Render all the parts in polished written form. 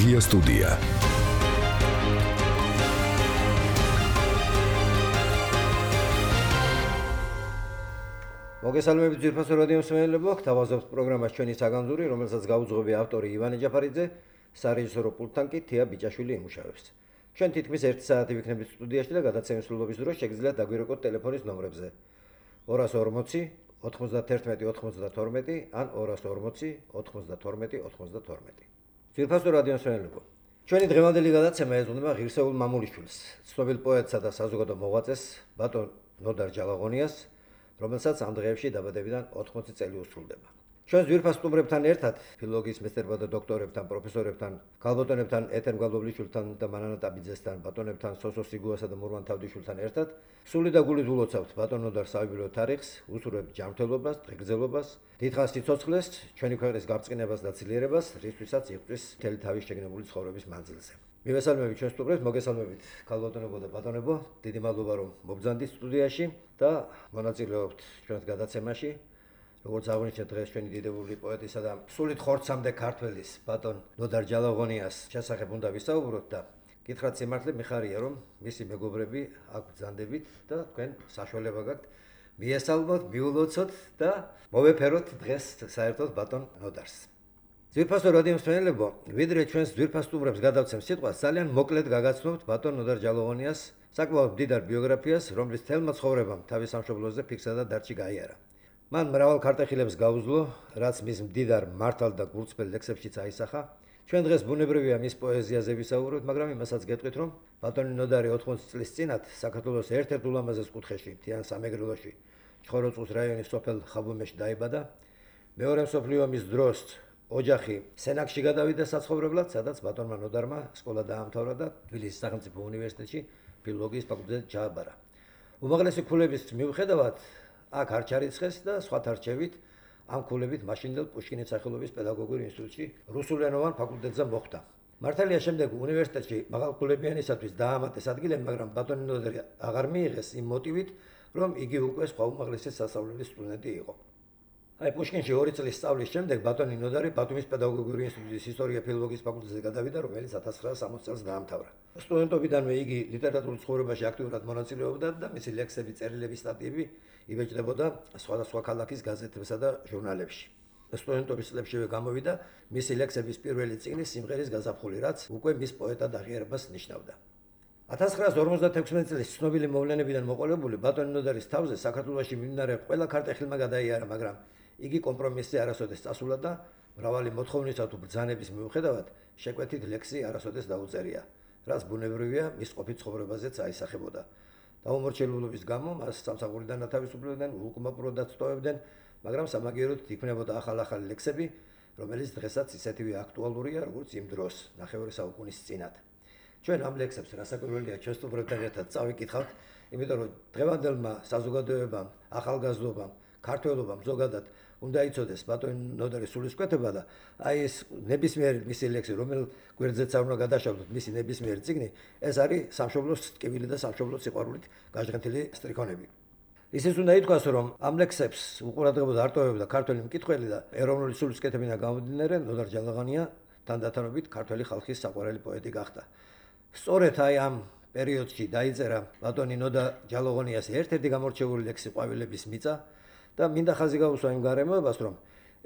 Media Studia. მოგესალმებით ძვირფასო რადიო მსმენელებო, გთავაზობთ პროგრამას ჩვენი საგანძური, რომელსაც გაუძღვები ავტორი ივანე ჯაფარიძე, სარეჟისორო პულტთან კი თია ბიჭაშვილი იმუშავებს. ჩვენ თითქმის 1 საათი ვიქნებით სტუდიაში და გადაცემის სრულობის დროს შეგიძლიათ დაგვირეკოთ ტელეფონის ნომრებზე 240 91 92 ან 240 92 92. ძვირფასო რადიო მსმენელებო, ჩვენი დღევანდელი გადაცემა ეძღვნება ღირსეულ მამულიშვილს, ცნობილ პოეტსა და საზოგადო მოღვაწეს ბატონ ნოდარ ჯალაღონიას, რომელსაც ამ დღეებში დაბადებიდან 80 წელი უსრულდება. ჩვენ ძვირფას სტუმრებთან ერთად, ფილოლოგიის მეცნიერებათა დოქტორებთან, პროფესორებთან, ქალბატონებთან, ეთერ მგალბობლიშვილთან და მანანა ტაბიძესთან, ბატონებთან, სოსო სიგუასა და მურვან თავდიშვილთან ერთად, სული და გულით ულოცავთ ბატონ ნოდარ საიუბილეო თარიღს, უსურვებთ ჯანმრთელობას, დღეგრძელობას, დიდხანს სიცოცხლეს, ჩვენი ქვეყნის გაბრწყინებას და ძლიერებას, რისთვისაც იღწვის მთელი თავის შეგნებული ცხოვრების მანძილზე. მივესალმებით ჩვენ სტუმრებს, მოგესალმებით ქალბატონებო და ბატონებო, დიდი მადლობა რომ მობრძანდით სტუდიაში და მონაწილეობთ ჩვენს გადაცემაში. როგორც აღნიშნეთ, დღეს ჩვენი დიდებული პოეტისა და სულით ხორცამდე ქართველის ბატონ ნოდარ ჯალაღონიას შესახებ უნდა ვისაუბროთ და გითხრათ სიმართლე მიხარია რომ მისი მეგობრები აქ ბრძანდებით და თქვენ საშუალება გაქვთ მიესალმოთ, მიულოცოთ და მოვეფეროთ დღეს საერთოდ ბატონ ნოდარს. ძვირფასო რადიო მსმენელებო, ვიდრე ჩვენს ძვირფას სტუმრებს გადავცემ სიტყვას, ძალიან მოკლედ გაგაცნობთ ბატონ ნოდარ ჯალაღონიას საკმაოდ მდიდარ ბიოგრაფიას, რომლის თელმა ცხოვრებამ თავის სამშობლოზე ფიქსა და დარჩი გაიარა. მან მრავალ ქარტეხილებს გაუძლო, რაც მის მდიდარ მართალ და გულწრფელ ლექსებშიც აისახა. ჩვენ დღეს ბუნებრივია მის პოეზიაზე ვისაუბროთ, მაგრამ იმასაც გეტყვით, რომ ბატონი ნოდარი 80 წლის წინათ საქართველოს ერთ-ერთ ულამაზეს კუთხეში, მთიან სამეგრელოში, ჩხოროწყუს რაიონის სოფელ ხაბუმეში დაიბადა. მეორე მსოფლიო ომის დროს ოჯახი სენაკში გადავიდა საცხოვრებლად, სადაც ბატონმა ნოდარმა სკოლა დაამთავრა და თბილისის სახელმწიფო უნივერსიტეტში ფილოლოგიის ფაკულტეტზე ჩააბარა. უმაღლესი ქულების მიუხედავად აქ არ ჩარიცხეს და სხვათა რჩევით ამ ქულებით მაშინდელ პუშკინის სახელობის პედაგოგიურ ინსტიტუტში რუსულენოვან ფაკულტეტზე მოხვდა. მართალია შემდეგ უნივერსიტეტში მაღალქულებიანისათვის დაამატეს ადგილები, მაგრამ ბატონი ნოდარი აღარ მიიღეს იმ მოტივით, რომ იგი უკვე სხვა უმაღლესი სასწავლებლის სტუდენტი იყო. აი პუშკინში 2 წლის სწავლის შემდეგ ბატონი ნოდარი ბათუმის პედაგოგიური ინსტიტუტის ისტორია ფილოლოგიის ფაკულტეტზე გადავიდა, რომელიც 1960 წელს დაამთავრა. სტუდენტობიდანვე იგი ლიტერატურულ ცხოვრებაში აქტიურად მონაწილეობდა და მისი ლექსები, წერილები, სტატიები იბეჭდებოდა სხვადასხვა ქალაქის გაზეთებსა და ჟურნალებში. სტუდენტობის წლებშივე გამოვიდა მისი ლექსების პირველი წიგნი სიმღერის გაზაფხული, რაც უკვე მის პოეტად აღიარებას ნიშნავდა. 1956 წლის ცნობილი მოვლენებიდან მოყოლებული ბატონი ნოდარის თავზე საქართველოში მიმდინარე ყველა ქარტეხილმა გადაიარა, მაგრამ იგი კომპრომისზე არასოდეს წასულა და მრავალი მოთხოვნისა თუ ბრძანების მიუხედავად შეკვეთით ლექსი არასოდეს დაუწერია, რაც ბუნებრივია მის ყოფით ცხოვრებაზეც აისახებოდა. დაუმორჩილებლობის გამო მას სამსახურიდან ათავისუფლებდნენ, უკმაყოფილებლად სტოვებდნენ, მაგრამ სამაგიეროდ იქმნებოდა ახალ-ახალი ლექსები, რომელიც დღესაც ისეთივე აქტუალურია, როგორც იმ დროს, ნახევარი საუკუნის წინათ. ჩვენ ამ ლექსებს რასაკვირველია ჩვენ სტუმრებთან ერთად წავიკითხავთ, იმიტომ რომ დღევანდელმა საზოგადოებამ, ახალგაზრდობამ, ქართველობამ ზოგადად უნდა იცოდეს ბატონი ნოდარის სულისკვეთება და აი ეს ნებისმიერი მისი ლექსი, რომელ გვერდზეც არ უნდა გადაშალოთ მისი ნებისმიერი წიგნი, ეს არის სამშობლოს ტკივილი და სამშობლოს სიყვარულით გაჟღენთილი სტრიქონები. ისიც უნდა ითქვას, რომ ამ ლექსებს უყურადღებოდ არტოვებდა ქართველი მკითხველი და ეროვნული სულისკვეთებიდან გამომდინარე ნოდარ ჯალაღონია თანდათანობით ქართველი ხალხის საყვარელი პოეტი გახდა. სწორედ აი ამ პერიოდში დაიწერა ბატონი ნოდარ ჯალაღონიას ერთ-ერთი გამორჩეული ლექსი ყვავილების მიწა და მინდა ხაზი გაუსვა იმ გარემოებას, რომ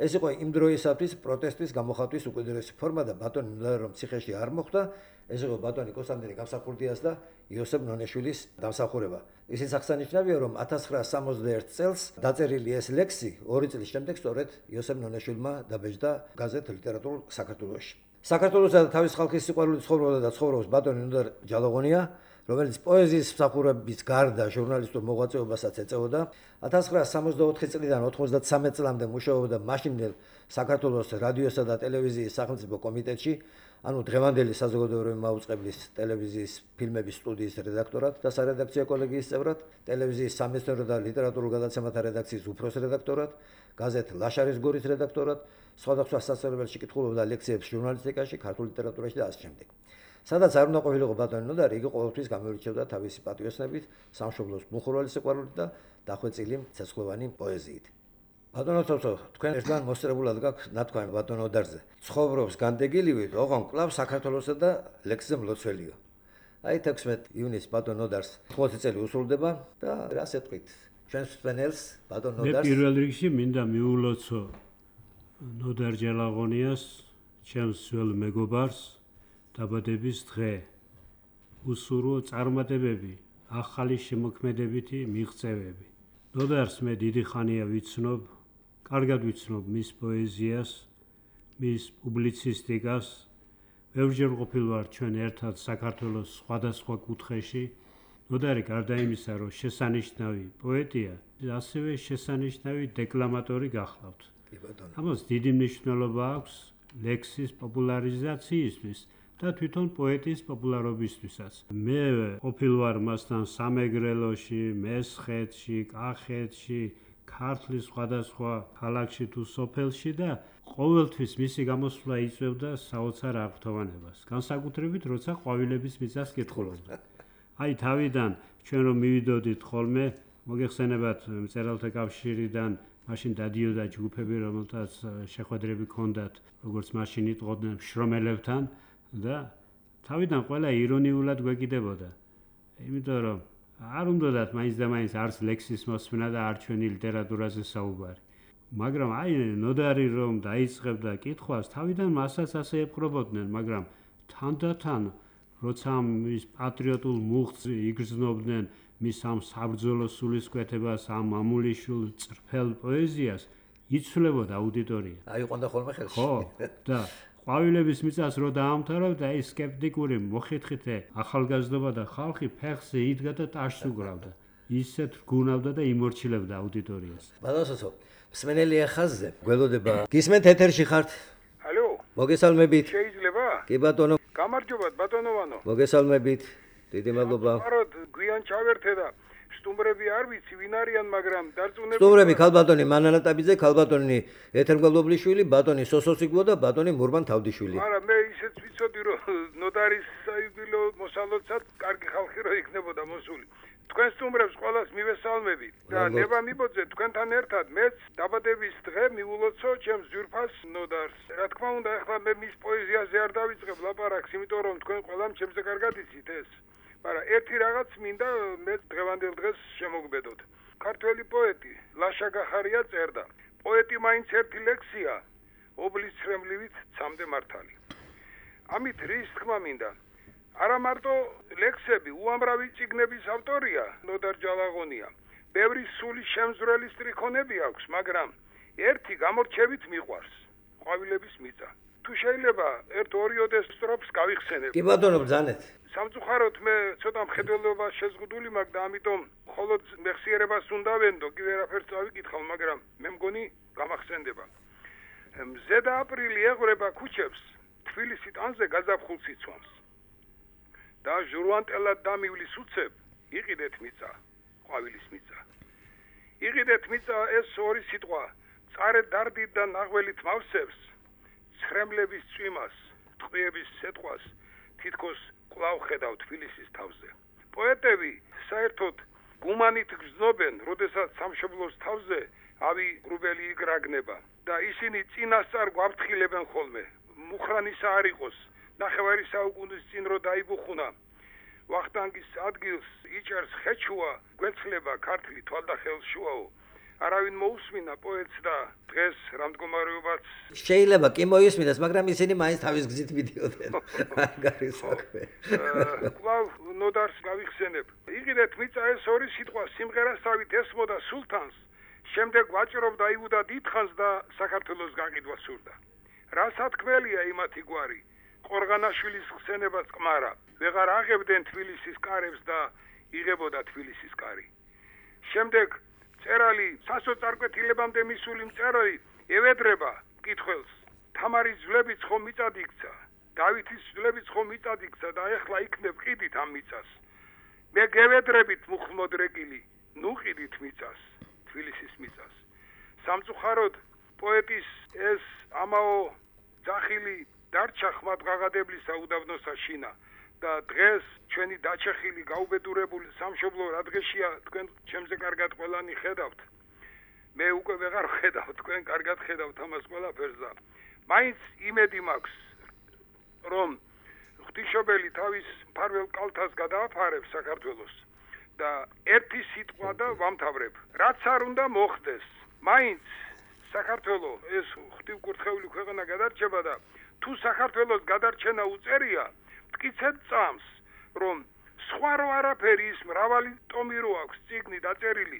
ეს იყო იმ დროისათვის პროტესტის გამოხატვის უკიდურესი ფორმა და ბატონი ნოდარი რომ ციხეში არ მოხვდა, ეს იყო ბატონი კონსტანტინე გამსახურდიას და იოსებ ნონეშვილის დამსახურება. ისიც აღსანიშნავია, რომ 1961 წელს დაწერილი ეს ლექსი 2 წლის შემდეგ სწორედ იოსებ ნონეშვილმა დაბეჭდა გაზეთ ლიტერატურულ საქართველოში. საქართველოსა და თავის ხალხის სიყვარულით ცხოვრობდა და ცხოვრობს ბატონი ნოდარ ჯალაღონია, რომელიც პოეზიის მსახურების გარდა ჟურნალისტურ მოღვაწეობასაც ეწეოდა. 1964 წლიდან 93 წლამდე მუშაობდა მაშინდელ საქართველოს რადიოსა და ტელევიზიის სახელმწიფო კომიტეტში, ანუ დღევანდელი საზოგადოებრივი მაუწყებლის ტელევიზიის ფილმების სტუდიის რედაქტორად და სარედაქციო კოლეგიის წევრად, ტელევიზიის სამეცნიერო და ლიტერატურულ გადაცემათა რედაქციის უფროს რედაქტორად, გაზეთ ლაშარის გორის რედაქტორად, სხვადასხვა სასწავლებელში კითხულობდა ლექციებს ჟურნალისტიკაში, ქართულ ლიტერატურაში და ასე შემდეგ. სადაც არ უნდა ყოფილიყო ბატონი ნოდარი, იგი ყოველთვის გამოირჩეოდა თავისი პატიოსნებით, სამშობლოს მხურვალე სიყვარულით და დახვეწილი ცეცხლოვანი პოეზიით. ბატონო თორთო, თქვენ ერთგან მოსწრებულად გაქვთ ნათქვამი ბატონო ოდარზე. ცხოვრობს განდეგილივით, ოღონ კვლავ საქართველოსა და ლექსზე მლოცველიო. აი 16 ივნისს ბატონო ოდარს 80 წელი უსრულდება და რას ეტყვით? ჩვენს მსმენელს ბატონო ოდარს. მე პირველ რიგში მინდა მიულოცო ნოდარ ჯელაღონიას, ჩემს ძველ მეგობარს დაბადების დღე. უსურვო წარმატებები, ახალი შემოქმედებითი მიღწევები. ნოდარს მე დიდი ხანია ვიცნობ, კარგად ვიცნობ მის პოეზიას, მის პუბლიცისტიკას. ბევრჯერ ყოფილ ვარ ჩვენ ერთად საქართველოს სხვადასხვა კუთხეში. ნოდარი გარდა იმისა, რომ შესანიშნავი პოეტია, ასევე შესანიშნავი დეკლამატორი გახლავთ. ამას დიდი მნიშვნელობა აქვს ლექსის პოპულარიზაციისთვის და თვითონ პოეტის პოპულარობისთვისაც. მე ყოფილ ვარ მასთან სამეგრელოში, მესხეთში, კახეთში, ქართლის სხვადასხვა ქალაქში თუ სოფელში და ყოველთვის მისი გამოსვლა იწვევდა საოცარ აღფრთოვანებას. განსაკუთრებით, როცა ყვავილების მიწას კითხულობდა. აი თავიდან ჩვენ რომ მივიდოდით ხოლმე, მოგეხსენებათ მწერალთა კავშირიდან მაშინ დადიოდა ჯგუფები, რომელთაც შეხვედრები ჰქონდათ, როგორც მაშინ იტყოდნენ შრომელებთან და თავიდან ყველა ირონიულად გვეკიდებოდა. იმიტომ რომ არ უნდათ მაინც და მაინც არც ლექსის მოსმენა და არ ჩვენი ლიტერატურაზე საუბარი. მაგრამ აი ნოდარი რომ დაიწყებდა კითხვას, თავიდან მასაც ასე ეპყრობოდნენ, მაგრამ თანდათან როცა მის პატრიოტულ მუხტს იგრძნობდნენ, მის ამ საბრძოლო სულისკვეთებას, ამ მამულიშვილ წრფელ პოეზიას, იცვლებოდა აუდიტორია. აი ყონდა ხოლმე ხელში. ხო, და ყვავილების მიწას რო დაამთავრებდა, ის სკეპტიკური მოხითხითე ახალგაზრდობა და ხალხი ფეხზე იდგა და ტაშს უგრავდა. ისეთ რგუნავდა და იმორჩილებდა აუდიტორიას. ბატონო, მსმენელი ახაზზე გველოდება. გისმენთ ეთერში ხართ? ალო. მოგესალმებით. შეიძლება? კი ბატონო. გამარჯობათ ბატონოვანო. მოგესალმებით. დიდი მადლობა. აროდ გვიან ჩავერთე და სტუმრები არ ვიცი ვინ არიან, მაგრამ დარწმუნებული. სტუმრები ქალბატონი მანანატაბიძე, ქალბატონი ეთერგველობლიშვილი, ბატონი სოსოსიგლო და ბატონი მურბან თავდიშვილი. არა, მე ისეც ვიცოდი რომ ნოდარის საიუბილეო მოსალოდსაც კარგი ხალხი რო იქნებოდა მოსული. თქვენ სტუმრებს ყველას მივესალმები და ნება მიბოძე თქვენთან ერთად მეც დაბადების დღე მიულოცო ჩემს ძვირფას ნოდარს. რა თქმა უნდა, ახლა მე მის პოეზიაზე არ დავიწყებ ლაპარაკს, იმიტომ რომ თქვენ ყველამ ჩემზე კარგად იცით ეს. მაგრამ ერთი რაღაც მინდა მე დღევანდელ დღეს შემოგბედოთ. ქართველი პოეტი ლაშა გახარია წერდა. პოეტი მაინც ერთი ლექსია, ობლის ცრემლივით ცამდე მართალი. ამით რის თქმა მინდა? არა მარტო ლექსები, უამრავი წიგნების ავტორია ნოდარ ჯალაღონია. ბევრი სული შემზვრელი სტრიქონები აქვს, მაგრამ ერთი გამორჩევით მიყვარს. ყვავილების მიწა. თუ შეიძლება ერთ-ორიოდე სტროფს გავიხსენებ. კი ბატონო, ბრძანეთ. სამწუხაროდ მე ცოტა მხედველობა შეზღუდული მაქვს და ამიტომ მხოლოდ მეხსიერებას უნდა ვენდო, კი ვერაფერს წავიკითხავ, მაგრამ მე მგონი გამახსენდება. მზედა აპრილი ეღვრება ქუჩებს, თბილისი ტანზე გაზაფხულ სიცვამს. და ჟურვანტელად დამივლის უცებ, იყიდეთ მიწა, ყვავილის მიწა. იყიდეთ მიწა ეს ორი სიტყვა, წარე დარდით და ნაღველით მავსებს, ცრემლების წვიმას, ტყვიების სეტყვას, თითქოს კვლავ ხედავ თბილისის თავზე. პოეტები საერთოდ გუმანით გრძნობენ, როდესაც სამშობლოს თავზე ავი გრუბელი იგრაგნება და ისინი წინასწარ გვაფრთხილებენ ხოლმე. მუხრანისა არ იყოს, ნახევარი საუკუნის წინ რო დაიბუხუნა, ვახტანგის ადგილს იჭერს ხეჩუა, გვეცლება ქართლი თვალდახელშუაო. არავინ მოусმინა პოეტს და დღეს რამდგომარეობაც შეიძლება კი მოისმინეს, მაგრამ ისინი მაინც თავის გზით მიდიოდნენ. მაგარი საქმე. კვლავ ნოდარს გავიხსენებ. იყიდეთ მიწა ეს ორი სიტყვა სიმღერასავით ესმოდა სულთანს, შემდეგ ვაჭრობდა იუდა დიდხანს და საქართველოს გაყიდვა სურდა. რა სათქმელია იმათი გვარი? ყორღანაშვილის ხსენებაც ყმარა. ვეღარ აღებდნენ თბილისის კარებს და იღებოდა თბილისის კარი. შემდეგ წერალი სასოწარკვეთილებამდე მისული მწერალი ევედრება მკითხველს. თამარის ძვლებიც ხომ მიწად იქცა, დავითის ძვლებიც ხომ მიწად იქცა და ეხლა იქნებ ყიდით ამ მიწას. მე გევედრებით მუხლმოდრეკილი, ნუ ყიდით მიწას, თბილისის მიწას. სამწუხაროდ პოეტის ეს ამაო ძახილი დარჩა ხმად ღაღადებლისა უდაბნოსა შინა და დღეს ჩვენი დაჩეხილი გაუბედურებული სამშობლო რა დღეშია თქვენ ჩემზე კარგად ყველანი ხედავთ. მე უკვე ვეღარ ხედავ თქვენ კარგად ხედავთ ამას ყველაფერს და მაინც იმედი მაქვს რომ ღვთისმშობელი თავის მფარველ კალთას გადააფარებს საქართველოს და ერთი სიტყვა და ვამთავრებ რაც არ უნდა მოხდეს მაინც საქართველო ეს ღვთივკურთხეული ქვეყანა გადარჩება და თუ საქართველოს გადარჩენა უწერია მტკიცედ წამს რომ სხვა რო არაფერი ის მრავალი ტომი რო აქვს წიგნი დაწერილი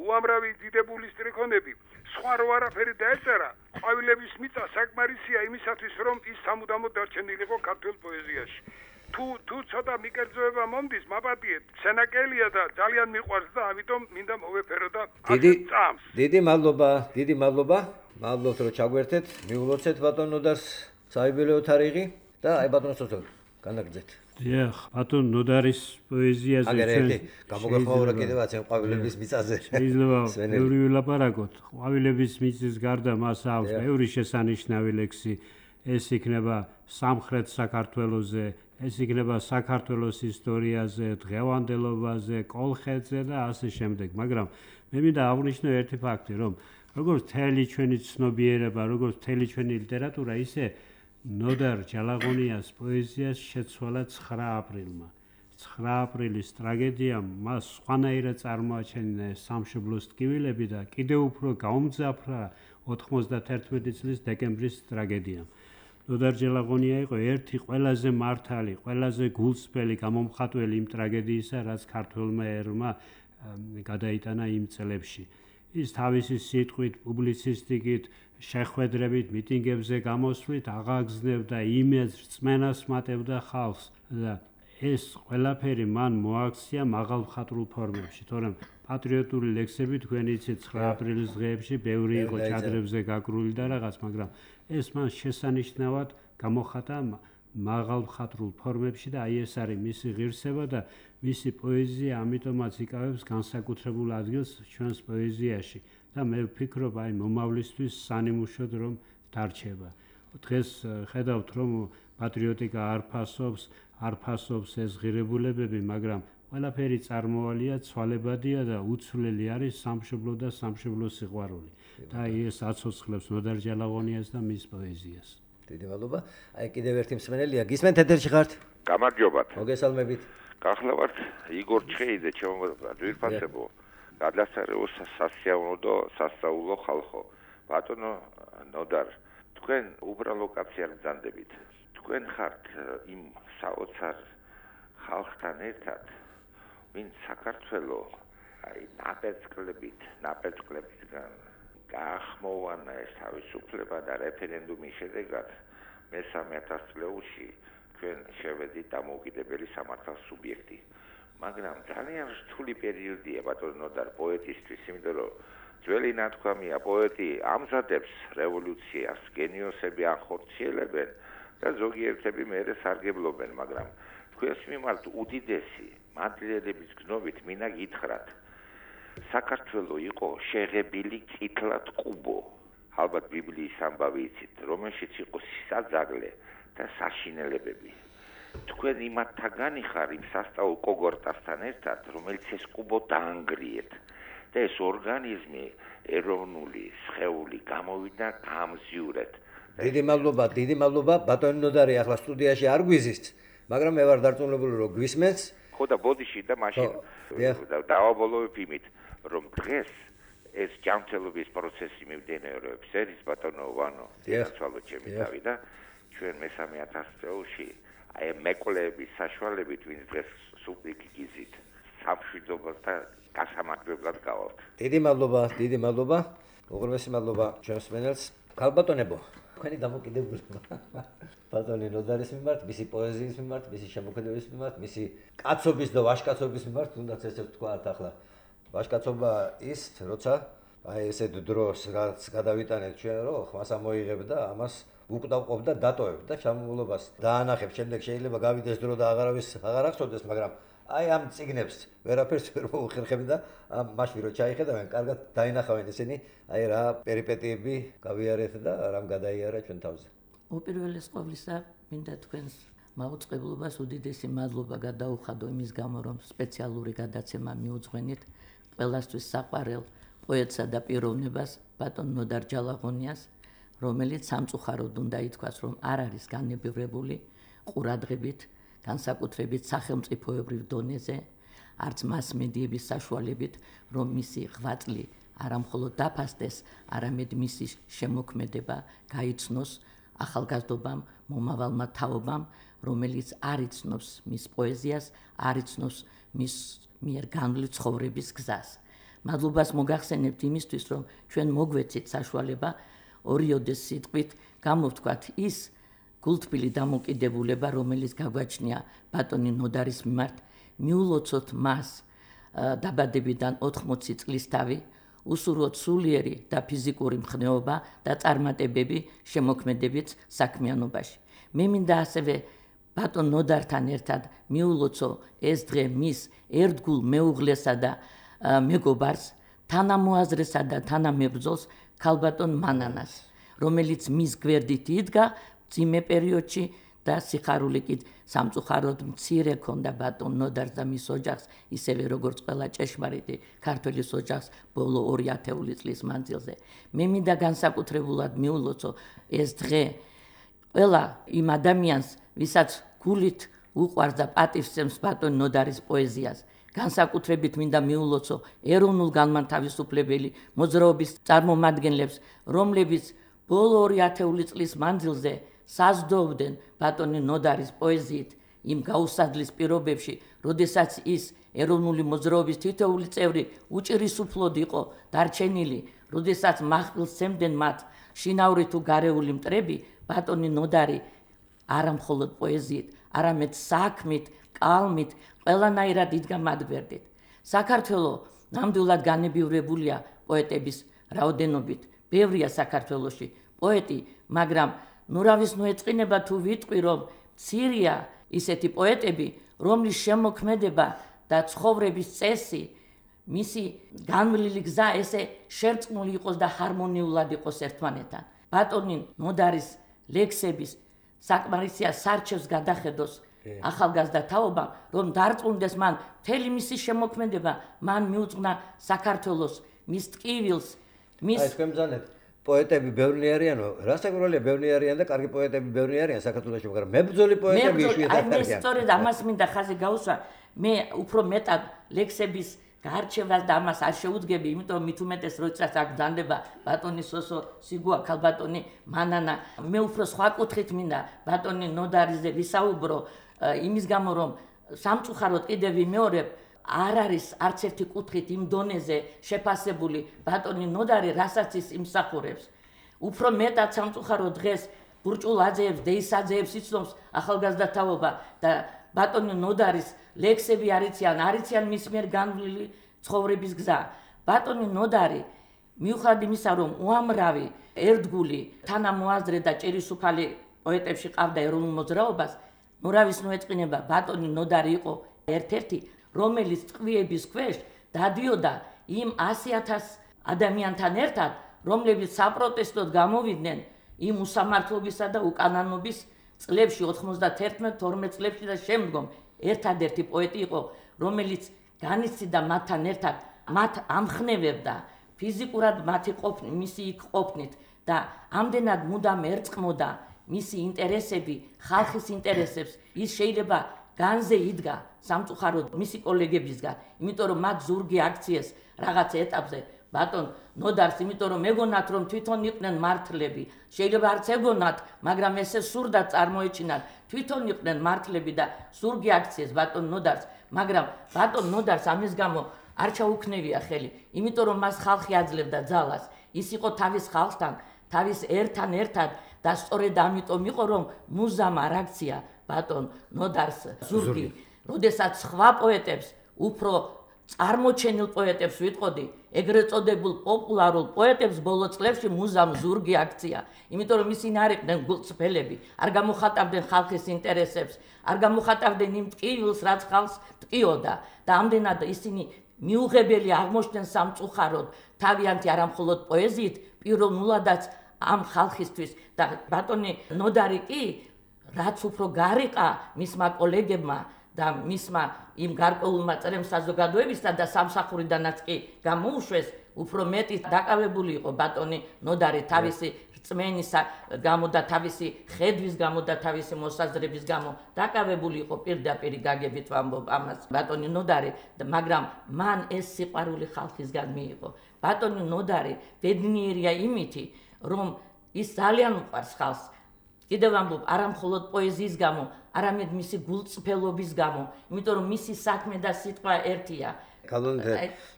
უამრავი დიდებული სტრიქონები სხვა რო არაფერი დაეწერა ყვავილების მიწა საკმარისია იმისათვის რომ ის სამუდამოდ დარჩენილიყო ქართულ პოეზიაში თუ ცოტა მიკერძოება მომდის მაპატიეთ სენაკელია და ძალიან მიყვარს და ამიტომ მინდა მოვეფერო და ასეთ წამს დიდი მადლობა მადლობთ რომ ჩაგვერთეთ მიულოცეთ ბატონ ნოდარს საიუბილეო თარიღი და აი ბატონ სოცოლ განაგრძეთ დიახ ბატონ ნოდარის პოეზიაზე ჩვენ გამოგახმაურა კიდევაც ამ ყვავილების მიწაზე შეიძლება ბევრი ვილაპარაკოთ ყვავილების მიწის გარდა მას აქვს ბევრი შესანიშნავი ლექსი ეს იქნება სამხრეთ საქართველოზე ეს იქნება საქართველოს ისტორიაზე დღევანდელობაზე კოლხეთზე და ასე შემდეგ მაგრამ მე მინდა აღვნიშნო ერთი ფაქტი რომ როგორც მთელი ჩვენი ცნობიერება როგორც მთელი ჩვენი ლიტერატურა ისე ნოდარ ჯალაღონიას პოეზიას შეცვალა 9 აპრილმა 9 აპრილის ტრაგედიამ მას სხვანაირად წარმოაჩენა სამშობლოს ტკივილები და კიდევ უფრო გაუმძაფრა 91 წლის დეკემბრის ტრაგედიამ ნოდარ ჯალაღონია იყო ერთი ყველაზე მართალი ყველაზე გულწრფელი გამომხატველი იმ ტრაგედიისა რაც ქართველმა ერმა გადაიტანა იმ წლებში ის თავისი სიტყვით პუბლიცისტიკით შეხვედრებით მიტინგებზე გამოსვლით აღაგზნებდა იმედს რწმენას მატებდა ხალხს და ეს ყველაფერი მან მოაქცია მაღალმხატვრულ ფორმებში თორემ პატრიოტული ლექსები თქვენი იცით 9 აპრილის დღეებში ბევრი იყო ჩადრებზე გაკრული და რაღაც მაგრამ ეს მან შესანიშნავად გამოხატა მაღალმხატვრულ ფორმებში და აი ეს არის მისი ღირსება და მისი პოეზია ამიტომაც იკავებს განსაკუთრებულ ადგილს ჩვენს პოეზიაში და მე ვფიქრობ აი მომავლისთვის სანიმუშოდ რომ დარჩება დღეს ხედავთ რომ პატრიოტიკა არ ფასობს ეს ღირებულებები მაგრამ ყველაფერი წარმოვალია ცვალებადია და უცვლელი არის სამშობლო და სამშობლოს სიყვარული და ეს აცოცხლებს ნოდარ ჯალაღონიას და მის პოეზიას დიდი მადლობა აი კიდევ ერთი მსმენელია გისმენთ ეთერში ხართ გამარჯობათ მოგესალმებით გახლავართ იგორ ჩხეიძე ჩემო ძვირფასებო გადასარევო სასიამოვნო სასწაულო ხალხო ბატონო ნოდარ თქვენ უბრალო კაცი არ გძანდებით თქვენ ხართ იმ საოცარ ხალხთან ერთად ვინც საქართველო აი ნაპერწკლებისგან გაახმოვანა ეს თავისუფლება და რეფერენდუმის შედეგად მე-3000 წლებში თქვენ შევედით დამოუკიდებელი სამართლის სუბიექტი მაგრამ ძალიან რთული პერიოდია ბატონო ნოდარ პოეტისთვის იმიტომ რომ ძველი ნათქვამია პოეტი ამზადებს რევოლუციას გენიოსები ახორციელებენ და ზოგიერთები მერე სარგებლობენ მაგრამ თქვენს მიმართ უდიდესი მადლიერების გნობით მინდა გითხრათ საქართველო იყო შეღებილი წითლად ყუბო ალბათ ბიბლიის ამბავი იცით რომელშიც იყო საძაღლე და საშინელებები თქვენ იმათაგანი ხარ იმ სასწაულ კოგორტასთან ერთად რომელიც ეს ყუბო დაანგრიეთ და ეს ორგანიზმი ეროვნული სხეული გამოვიდა გამზიურეთ დიდი მადლობა ბატონი ნოდარი ახლა სტუდიაში არ გვიზის მაგრამ მე ვარ დარწმუნებული რომ გვისმენს ხო და ბოდიში და მაშინ დავაბოლოვებ იმით რომ დღეს ეს ჯანმრთელობის პროცესი მიმდინარეობს ერის ბატონო ვანო დიახვალო ჩემი თავი და ჩვენ მე-3000 წელში აი მეკვლეების საშუალებით ვინც დღეს სულ გიზით სამშვიდობოს და გასამაგრებლად გავალთ დიდი მადლობა უღრმესი მადლობა ჩვენს მენელს ქალბატონებო თქვენი დამოკიდებულება ბატონი ნოდარის მიმართ მისი პოეზიის მიმართ მისი შემოქმედების მიმართ მისი კაცობის და ვაჟკაცობის მიმართ თუნდაც ესე ვთქვათ ახლა ვაჟკაცობა ის როცა აი ესეთ დროს რაც გადავიტანეთ ჩვენ რომ ხმას ამოიღებ და ამას უკდავყოფ და დატოვებ და ჩამულობას დაანახებ შემდეგ შეიძლება გავიდეს დრო და აღარავის აღარ ახსოვდეს მაგრამ აი ამ წიგნებს ვერაფერს ვერ მოუხერხებ და მაშინ რო ჩაიხედავენ კარგად დაინახავენ ისინი აი რა პერიპეტიები გავიარეთ და რამ გადაიარა ჩვენ თავზე უპირველეს ყოვლისა მინდა თქვენს მაუწყებლობას უდიდესი მადლობა გადაუხადო იმის გამო რომ სპეციალური გადაცემა მიუძღვენით ყველასთვის საყვარელ პოეტსა და პიროვნებას ბატონ ნოდარ ჯალაღონიას, რომელიც სამწუხაროდ უნდა ითქვას, რომ არ არის განებივრებული ყურადღებით, განსაკუთრებით სახელმწიფოებრივ დონეზე, არც მასმედიების საშუალებით, რომ მისი ღვაწლი არა მხოლოდ დაფასდეს, არამედ მისი შემოქმედება გაიცნოს ახალგაზრდობამ, მომავალმა თაობამ, რომელიც არ იცნობს მის პოეზიას, არ იცნობს მის მიერ განვლილ ცხოვრების გზას. მადლობას მოგახსენებთ იმისთვის, რომ ჩვენ მოგვეცით საშუალება ორიოდეს სიტყვით გამოვთქვათ ის გულთბილი დამოკიდებულება, რომელიც გაგვაჩნია ბატონი ნოდარის მიმართ, მიულოცოთ მას დაბადებიდან 80 წლისთავი, უსურვოთ სულიერი და ფიზიკური მხნეობა და წარმატებები შემოქმედებით საქმიანობაში. მე მინდა ასევე ბატონ ნოდართან ერთად მიულოცო ეს დღე მის ერთგულ მეუღლესა და მეგობარს, თანამოაზრესა და თანამებრძოლს ქალბატონ მანანას, რომელიც მის გვერდით იდგა მძიმე პერიოდში და სიხარული კი სამწუხაროდ მცირე ქონდა ბატონ ნოდარს და მის ოჯახს, ისევე როგორც ყველა ჭეშმარიტი ქართველის ოჯახს ბოლო 2 ათეული წლის მანძილზე. მე მინდა განსაკუთრებულად მიულოცო ეს დღე ყველა იმ ადამიანს, ვისაც გულით უყვარს და პატივსცემს ბატონ ნოდარის პოეზიას. განსაკუთრებით მინდა მიულოცო ეროვნულ განმათავისუფლებელი მოძრაობის წარმომადგენლებს, რომლებიც ბოლო 2 ათეული წლის მანძილზე საზრდოობდნენ ბატონი ნოდარის პოეზიით იმ გაუსადლის პირობებში, როდესაც ის ეროვნული მოძრაობის თითოეული წევრი უჭირისუფლოდ იყო დარჩენილი, როდესაც მახვილს სცემდნენ მათ შინაური თუ გარეული მტრები, ბატონი ნოდარი არა მხოლოდ პოეზიით, არამედ საქმით, კალმით, ყველანაირად იდგა მათ გვერდით. საქართველო ნამდვილად განებივრებულია პოეტების რაოდენობით. ბევრია საქართველოში პოეტი, მაგრამ ნურავის ნუეწყინება თუ ვიტყვი, რომ მცირეა ისეთი პოეტები, რომლის შემოქმედება და ცხოვრების წესი, მისი განვლილი გზა ესე შერწყმული იყოს და ჰარმონიულად იყოს ერთმანეთთან. ბატონი ნოდარის ლექსების საკმარისია სარჩევს გადახედოს ახალგაზრდა თაობამ, რომ დარწმუნდეს მან მთელი მისი შემოქმედება, მან მიუძღვნა საქართველოს, მის ტკივილს, მის თქვენ ბრძანეთ პოეტები ბევრი არიანო, რასაკვირველია ბევრი არიან და კარგი პოეტები ბევრი არიან საქართველოში, მაგრამ მებრძოლი პოეტები იშვიათად არიან. მე სწორედ ამას მინდა ხაზი გაუსვა, მე უფრო მეტად ლექსების გარჩევას და ამას არ შეუდგები, იმიტომ მით უმეტეს როდესაც აქ დანდება ბატონი სოსო სიგუა, ქალბატონი მანანა, მე უფრო სხვა კუთხით მინდა ბატონი ნოდარიზე ვისაუბრო, იმის გამო რომ სამწუხაროდ კიდევ ვიმეორებ, არ არის არც ერთი კუთხით იმ დონეზე შეფასებული ბატონი ნოდარი, რასაც ის იმსახურებს. უფრო მეტად სამწუხაროდ დღეს ბურჭულ აძეებს, დეისაძეებს იცნობს ახალგაზრდა თაობა და ბატონი ნოდარის ლექსები არიციან მის მიერ განვლილი ცხოვრების გზა. ბატონი ნოდარი მიუხედავად იმისა, რომ უამრავი ერთგული თანამოაზრე და ჭირისუფალი პოეტებში ყავდა ეროვნულ მოძრაობას, ნურავის ნუეწყინება ბატონი ნოდარი იყო ერთ-ერთი, რომელიც ტყვიების ქვეშ დადიოდა იმ 100,000 ადამიანთან ერთად, რომლებიც საპროტესტოდ გამოვიდნენ იმ უსამართლობისა და უკანონობის წლებში 91-12 წლებში და შემდგომ. ერთადერთი პოეტი იყო, რომელიც განიცდიდა მათთან ერთად, მათ ამხნევებდა ფიზიკურად მისი იქ ყოფნით და ამდენად მუდამ ერწყმოდა მისი ინტერესები, ხალხის ინტერესებს. ის შეიძლება განზე იდგა სამწუხაროდ მისი კოლეგებისგან, იმიტომ რომ მათ ზურგი აქციეს რაღაც ეტაპზე ბატონ ნოდარს, იმიტომ რომ ეგონათ, რომ თვითონ იყვნენ მართლები. შეიძლება არც ეგონათ, მაგრამ ესე სურდა წარმოეჩინათ, თვითონ იყვნენ მართლები და ზურგი აქციეს ბატონ ნოდარს, მაგრამ ბატონ ნოდარს ამის გამო არ ჩაუქნევია ხელი, იმიტომ რომ მას ხალხი აძლევდა ძალას. ის იყო თავის ხალხთან, თავის ერთან ერთად და სწორედ ამიტომ იყო, რომ მუზამ არ აქცია ბატონ ნოდარს ზურგი. როდესაც სხვა პოეტებს, უფრო წარმოჩენილ პოეტებს ვიტყოდი, ეგრეთ წოდებულ პოპულარულ პოეტებს ბოლო წლებში მუზამ ზურგი აქცია, იმიტომ რომ ისინი არ იყვნენ გულწრფელები, არ გამოხატავდნენ ხალხის ინტერესებს, არ გამოხატავდნენ იმ ტკივილს, რაც ხალხს ტკიოდა და ამდენად ისინი მიუღებელი აღმოჩნდნენ სამწუხაროდ, თავიანთი არა მხოლოდ პოეზიით, პიროვნულადაც ამ ხალხისთვის და ბატონი ნოდარი კი, რაც უფრო გარიყა მისმა კოლეგებმა და მისმა იმ გარკვეულმა წრემ საზოგადოებისთან და სამსახურიდანაც კი გამოუშვეს, უფრო მეტი დაკავებული იყო ბატონი ნოდარი თავისი რწმენისა გამო და თავისი ხედვის გამო და თავისი მოსაზრების გამო დაკავებული იყო პირდაპირ გაგებით ვამბობ ამას ბატონი ნოდარი, მაგრამ მან ეს სიყვარული ხალხისგან მიიღო. ბატონი ნოდარი ბედნიერია იმითი, რომ ის ძალიან უყვარს ხალხს. კიდევ ვამბობ, არა მხოლოდ პოეზიის გამო, არამედ მისი გულწრფელობის გამო, იმიტომ რომ მისი საქმე და სიტყვა ერთია. კალონდე,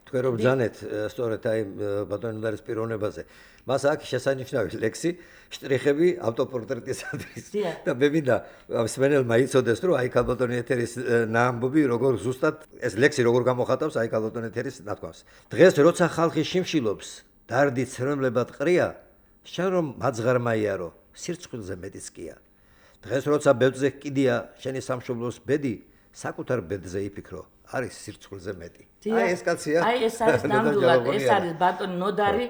თქვენ რომ ბრძანეთ სწორედ აი ბატონი ნოდარის პიროვნებაზე. მას აქვს შესანიშნავი ლექსი, შტრიხები ავტოპორტრეტისათვის. და მე მინდა მსმენელმა იცოდეს, რომ აი კალბატონი ეთერის ნაამბობი როგორ ზუსტად ეს ლექსი როგორ გამოხატავს აი კალბატონი ეთერის ნათქვამს. დღეს როცა ხალხი შიმშილობს, დარდი ცრემლებად ყრია, შენ რომ მაძღარმა იარო, სირცხვილზე მეტიც კია. დღეს როცა ბედზე კიდია შენი სამშობლოს ბედი, საკუთარ ბედზე იფიქრო, არის სირცხვილზე მეტი. აი ეს კაცია. აი ეს არის ნამდვილად, ეს არის ბატონი ნოდარი,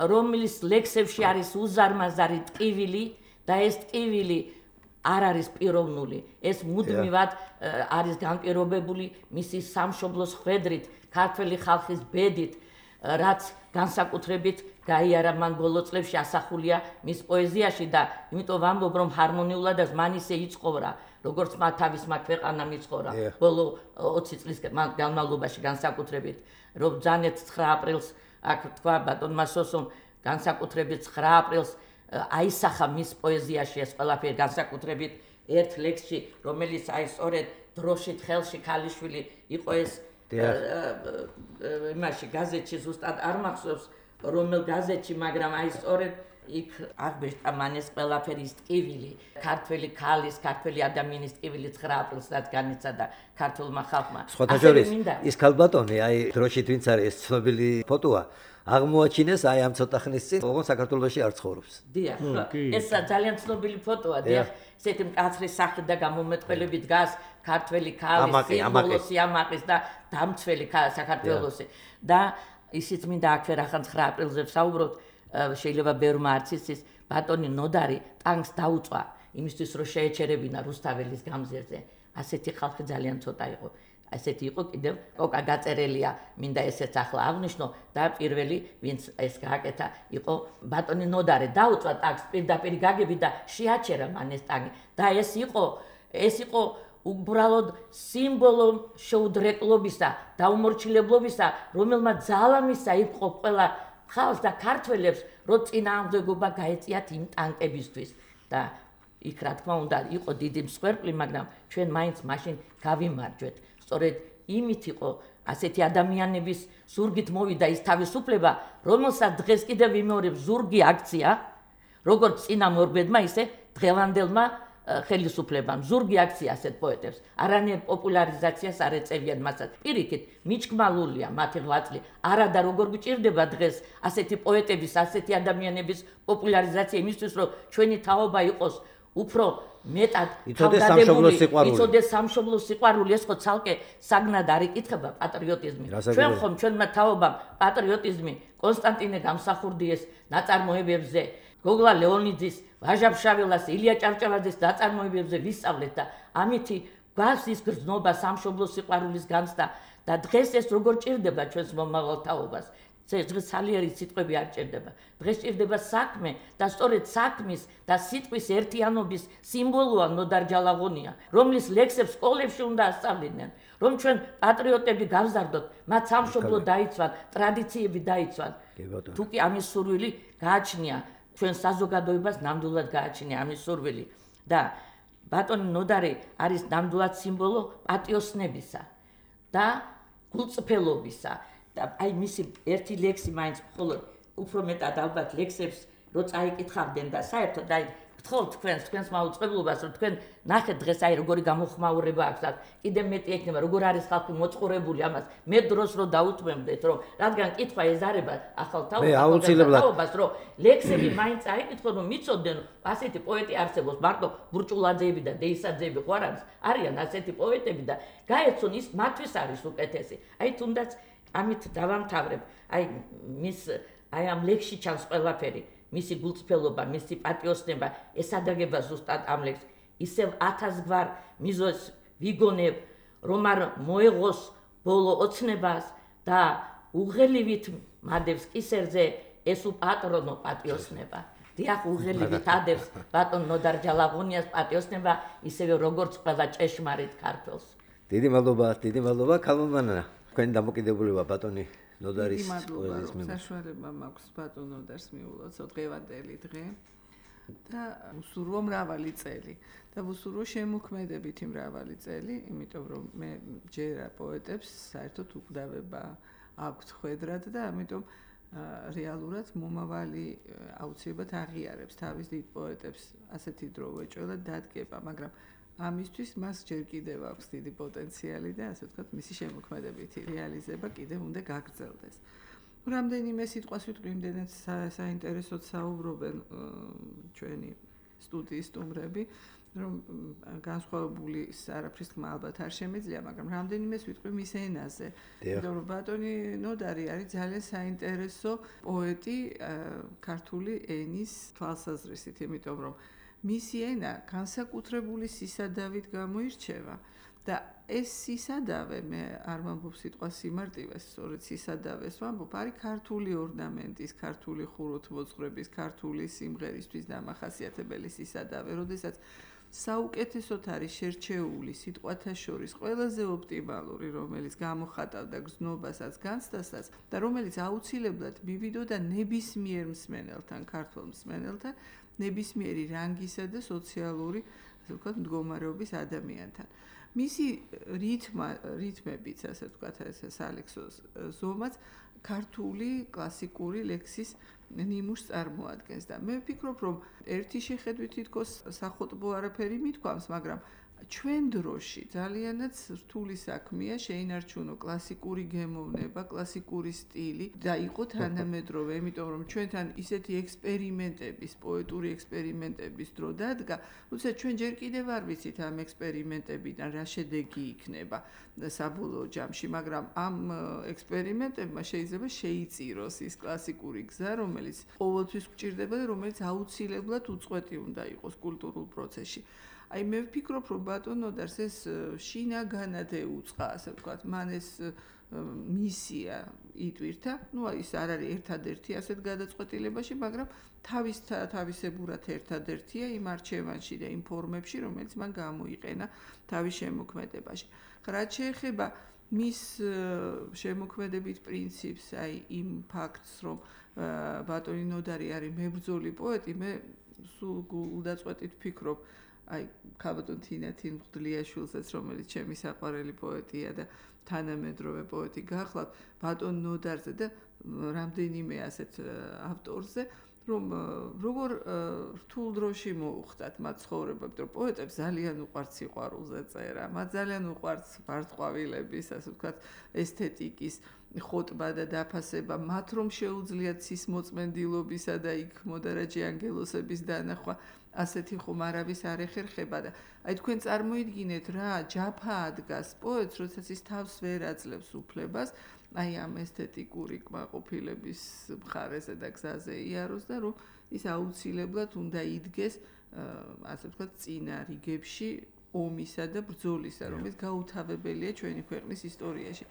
რომლის ლექსებში არის უზარმაზარი ტკივილი და ეს ტკივილი არ არის პიროვნული. ეს მუდმივად არის განპირობებული მისი სამშობლოს ხვედრით, ქართველი ხალხის ბედით, რაც განსაკუთრებით გაიარა მან ბოლო წლებში ასახულია მის პოეზიაში და იმიტომ ვამბობ, რომ ჰარმონიულადაც მან ისე იცხოვრა, როგორც თავისმა ქვეყანამ იცხოვრა ბოლო 20 წლის განმავლობაში განსაკუთრებით, რომ ბრძანეთ 9 აპრილს აქ თქვა ბატონმა სოსომ განსაკუთრებით 9 აპრილს აისახა მის პოეზიაში ეს ყველაფერი განსაკუთრებით ერთ ლექსში, რომელიც აი სწორედ დროშით ხელში ქალიშვილი იყო ეს იმაში გაზეთში ზუსტად არ მახსოვს რომელ გაზეთში, მაგრამ აი სწორედ იქ აღბეჭდა მან ეს ყველაფერი ტკივილი, ქართველი ქალის, ქართველი ადამიანის ტკივილი 9 აპრილსაც განიცადა ქართულმა ხალხმა. სხვათა შორის ის ქალბატონი აი დროშით ვინც არის ეს ცნობილი ფოტოა აღმოაჩინეს აი ამ ცოტა ხნის წინ, ოღონდ საქართველოში არ ცხოვრობს. დიახ, ეს ძალიან ცნობილი ფოტოა, დიახ, ესეთი მკაცრი სახით და გამომეტყველები დგას ქართველი ქალის სიმბოლოსი ამაყის და დამცველი საქართველოსი. და ისიც მინდა აქვე რახან 9 აპრილზე ვსაუბროთ, შეიძლება ბევრმა არც იცის, ბატონი ნოდარი ტანკს დაუწვა იმისთვის, რომ შეეჩერებინა რუსთაველის გამზირზე. ასეთი ხალხი ძალიან ცოტა იყო. ასეთი იყო კიდევ კოკა გაწერელია, მინდა ესეც ახლა აღნიშნო და პირველი ვინც ეს გააკეთა იყო ბატონი ნოდარი დაუწვა ტანკს პირდაპირ გაგები და შეაჩერა მან ეს ტანკი და ეს იყო უბრალოდ სიმბოლო შეუდრეკლობისა და უმორჩილებლობისა, რომელმაც ძალა მისცა იყო ყველა ხალხს და ქართველებს, რომ წინააღმდეგობა გაეწიათ იმ ტანკებისთვის და იქ რა თქმა უნდა იყო დიდი მსხვერპლი, მაგრამ ჩვენ მაინც მაშინ გავიმარჯვეთ. სწორედ იმით იყო ასეთი ადამიანების ზურგით მოვიდა ის თავისუფლება, რომელსაც დღეს კიდევ ვიმეორებ ზურგი აქცია, როგორც წინა მორბედმა, ისე დღევანდელმა ხელისუფლებამ. ზურგი აქცია ასეთ პოეტებს. არანაირ პოპულარიზაციას არ ეწევიან მასაც. პირიქით, მიჩქმალულია მათი ღვაწლი. არა და როგორ გჭირდება დღეს ასეთი პოეტების, ასეთი ადამიანების პოპულარიზაცია იმისთვის, რომ ჩვენი თაობა იყოს უფრო მეტად იცოდეს სამშობლოს სიყვარული, ეს ხო ცალკე საგნად არ იკითხება პატრიოტიზმი. ჩვენ ხომ ჩვენმა თაობამ პატრიოტიზმი კონსტანტინე გამსახურდიეს ნაწარმოებებზე, გოგლა ლეონიძის, ვაჟა-ფშაველას, ილია ჭავჭავაძის ნაწარმოებებზე ვისწავლეთ და ამითი გვაქვს ის გრძნობა სამშობლოს სიყვარულის განცდა და დღეს ეს როგორ ჭირდება ჩვენს მომავალ თაობას. დღეს სალიერი სიტყვები არ ჭირდება. დღეს ჭირდება საქმე და სწორედ საქმის და სიტყვის ერთიანობის სიმბოლოა ნოდარ ჯალაღონია, რომლის ლექსებს სკოლებში უნდა ასწავლიდნენ, რომ ჩვენ პატრიოტები გავზარდოთ, მათ სამშობლო დაიცვან, ტრადიციები დაიცვან. თუ კი ამის სურვილი გააჩნია ჩვენ საზოგადოებას, ნამდვილად გააჩნია ამის სურვილი და ბატონი ნოდარი არის ნამდვილად სიმბოლო პატიოსნებისა და გულწრფელობისა. და აი მისი ერთი ლექსი მაინც მხოლოდ უფრო მეტად ალბათ ლექსებს რო წაიკითხავდნენ და საერთოდ აი გთხოვთ თქვენს მაუწყებლობას, რომ თქვენ ნახეთ დღეს აი როგორი გამოხმაურება აქვს, კიდევ მეტი ექნება, როგორ არის ხალხი მოწყურებული ამას. მე დროს რო დაუთმევდეთ, რომ რადგან კითხვა ეზარება ახალ თაობას, რომ ლექსები მაინც აიკითხოთ, რომ მიცოდნენ, ასეთი პოეტი არსებობს, მარტო ბურჭულაძეები და დეისაძეები ხო არ არის? არიან ასეთი პოეტები და გაეცონ ის მათთვის არის უკეთესი. აი თუნდაც ამით დავამთავრებ. აი ამ ლექსში ჩანს ყველაფერი, მისი გულწრფელობა, მისი პატიოსნება, ესადაგება ზუსტად ამ ლექსს. ისევ 1000 გვარ მიზოს ვიგონებ, რომ არ მოეღოს ბოლო ოცნებას და უღელივით მადევს კისერზე ეს უპატრონო პატიოსნება. დიახ უღელივით ადევს ბატონ ნოდარ ჯალაღონიას პატიოსნება ისევე როგორც ყველა ჭეშმარიტ ქართველს. დიდი მადლობა ქალმომანა. თქვენი დამოკიდებულება ბატონი ნოდარის პოეზიის მიმართ. საშუალება მაქვს ბატონ ნოდარს მიულოცო დღევანდელი დღე და უსურვო მრავალი წელი და უსურვო შემოქმედებითი მრავალი წელი, იმიტომ რომ მე ჯერა პოეტებს საერთოდ უკვდავება აქვთ ხვედრად და ამიტომ რეალურად მომავალი აუცილებლად აღიარებს თავის დიდ პოეტებს ასეთი დრო ვეჭველად დადგება, მაგრამ ამისთვის მას ჯერ კიდევ აქვს დიდი პოტენციალი და ასე ვთქვათ, მისი შემოქმედებითი რეალიზება კიდევ უნდა გაგრძელდეს. რამდენიმე სიტყვას ვიტყვი, იმდენად საინტერესოდ საუბრობენ ჩვენი სტუდიის სტუმრები, რომ განსხვავებული არაფრის თქმა ალბათ არ შემეძლია, მაგრამ რამდენიმეს ვიტყვი მის ენაზე. იმიტომ რომ ბატონი ნოდარი არის ძალიან საინტერესო პოეტი ქართული ენის თვალსაზრისით, იმიტომ რომ მისი ენა განსაკუთრებული სისადავით გამოირჩევა და ეს სისადავე მე არ ვამბობ სიტყვას სიმარტივეს, სწორედ სისადავეს ვამბობ, არის ქართული ორნამენტის, ქართული ხუროთმოძღვრების, ქართული სიმღერისთვის დამახასიათებელი სისადავე, როდესაც საუკეთესოდ არის შერჩეული სიტყვათა შორის ყველაზე ოპტიმალური, რომელიც გამოხატავდა გზნობასაც, განცდასაც და რომელიც აუცილებლად მივიდოდა ნებისმიერ მსმენელთან, ქართველ მსმენელთან, ნებისმიერი რანგისა და სოციალური, ასე ვთქვათ, მდგომარეობის ადამიანთან. მისი რითმებიც, ასე ვთქვათ, სალექსო ზომაც ქართული კლასიკური ლექსის ნიმუშს წარმოადგენს და მე ვფიქრობ, რომ ერთი შეხედვით თითქოს სახოტბო არაფერი მithქვამს, მაგრამ ჩვენ დროში ძალიანაც რთული საქმეა შეინარჩუნო კლასიკური გემოვნება, კლასიკური სტილი და იყო თანამედროვე, იმიტომ რომ ჩვენთან ისეთი ექსპერიმენტების, პოეტური ექსპერიმენტების დრო დადგა, როდესაც ჩვენ ჯერ კიდევ არ ვიცით ამ ექსპერიმენტებიდან რა შედეგი იქნება საბოლოო ჯამში, მაგრამ ამ ექსპერიმენტებმა შეიძლება შეიწიროს ის კლასიკური გზა, რომელიც ყოველთვის გვჭირდება და რომელიც აუცილებლად უწყვეტი უნდა იყოს კულტურულ პროცესში. აი მე ვფიქრობ, რომ ბატონ ნოდარს ეს შინაგანად ეუწყა, ასე ვთქვათ, მან ეს მისია იტვირთა, ну ის არ არის ერთადერთი ასეთ გადაწყვეტილებაში, მაგრამ თავისებურად ერთადერთია იმ არჩევანში და იმ ფორმებში, რომელიც მან გამოიყენა თავის შემოქმედებაში. რაც შეეხება მის შემოქმედებით პრინციპს, აი იმ ფაქტს, რომ ბატონი ნოდარი არის მებრძოლი პოეტი, მე სულ გულდაწყვეტით ვფიქრობ აი ქალბატონ თინათინ მღვდლიაშვილსაც, რომელიც ჩემი საყვარელი პოეტია და თანამედროვე პოეტი გახლავთ, ბატონ ნოდარზე და რამდენიმე ასეთ ავტორზე, რომ როგორ რთულ დროში მოუხდათ მათ ცხოვრება, იმიტომ რომ პოეტებს ძალიან უყვართ სიყვარულზე წერა, მათ ძალიან უყვართ ბარტყვავილების, ასე ვთქვათ, ესთეტიკის ხოტბა და დაფასება, მათ რომ შეუძლიათ სისმოწმენდილობისა და იქ მოდარაჯე ანგელოსების დანახვა, ასეთი ხომ არავის არ ეხერხება და აი თქვენ წარმოიდგინეთ რა ჯაფა ადგას პოეტს, როდესაც ის თავს ვერ აძლევს უფლებას, აი ამ ესთეტიკური კმაყოფილების მხარეზე და გზაზე იაროს და რომ ის აუცილებლად უნდა იდგეს, ასე ვთქვათ, წინა რიგებში ომისა და ბრძოლისა, რომელიც გაუთავებელია ჩვენი ქვეყნის ისტორიაში.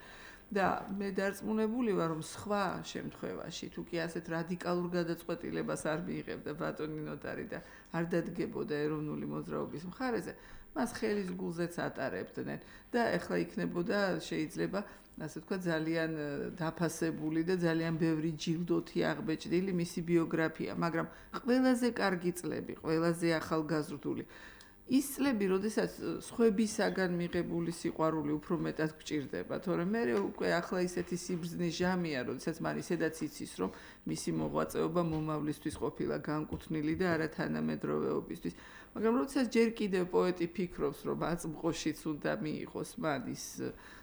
და მე დარწმუნებული ვარ, რომ სხვა შემთხვევაში, თუ კი ასეთ რადიკალურ გადაწყვეტილებას არ მიიღებდა ბატონი ნოდარი და არ დადგებოდა ეროვნული მოძრაობის მხარეზე, მას ხელის გულზეც ატარებდნენ და ეხლა იქნებოდა შეიძლება, ასე ვთქვათ, ძალიან დაფასებული და ძალიან ბევრი ჯილდოთი აღბეჭდილი მისი ბიოგრაფია, მაგრამ ყველაზე კარგი წლები, ყველაზე ახალგაზრდული ის წლები, როდესაც სხვებისაგან მიღებული სიყვარული უფრო მეტად გჭირდება, თორემ მე უკვე ახლა ისეთი სიბრძნის ჟამია, როდესაც მან ისედაც იცის, რომ მისი მოღვაწეობა მომავლისთვის ყოფილა განკუთვნილი და არა თანამედროვეობისთვის. მაგრამ როდესაც ჯერ კიდევ პოეტი ფიქრობს, რომ აწმყოშიც უნდა მიიღოს მან ის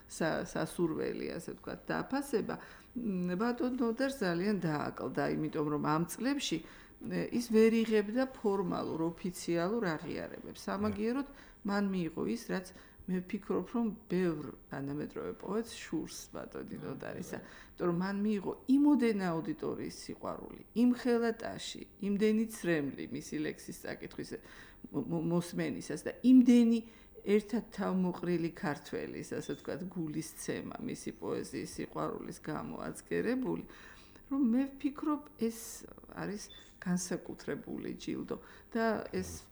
სასურველი, ასე ვთქვათ, დაფასება, ბატონ ნოდარს ძალიან დააკლდა, იმიტომ რომ ამ წლებში ის ვერ იღებდა ფორმალურ, ოფიციალურ აღიარებებს. სამაგიეროდ მან მიიღო ის, რაც მე ვფიქრობ, რომ ბევრ თანამედროვე პოეტს შურს ბატონი ნოდარისა. იმიტომ რომ მან მიიღო იმოდენა აუდიტორიის სიყვარული, იმხელა ტაში, იმდენი ცრემლი მისი ლექსის წაკითხვის მოსმენისას და იმდენი ერთად თავმოყრილი ქართველის, ასე ვთქვათ, გულისცემა მისი პოეზიის სიყვარულის გამო აწკერებული, რომ მე ვფიქრობ ეს არის განსაკუთრებული ჯილდო და ეს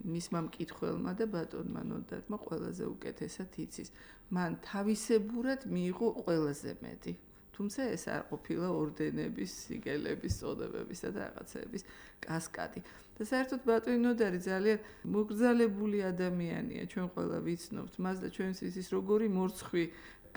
მისმა მკითხველმა და ბატონმა ნოდარმა ყველაზე უკეთესად იცის. მან თავისებურად მიიღო ყველაზე მეტი. თუმცა ეს არ ყოფილა ორდენების, სიგელების, წოდებებისა და რაღაცეების კასკადი. და საერთოდ ბატონი ნოდარი ძალიან მოგრძალებული ადამიანია, ჩვენ ყველა ვიცნობთ მას და ჩვენთვის ის როგორი მორცხვი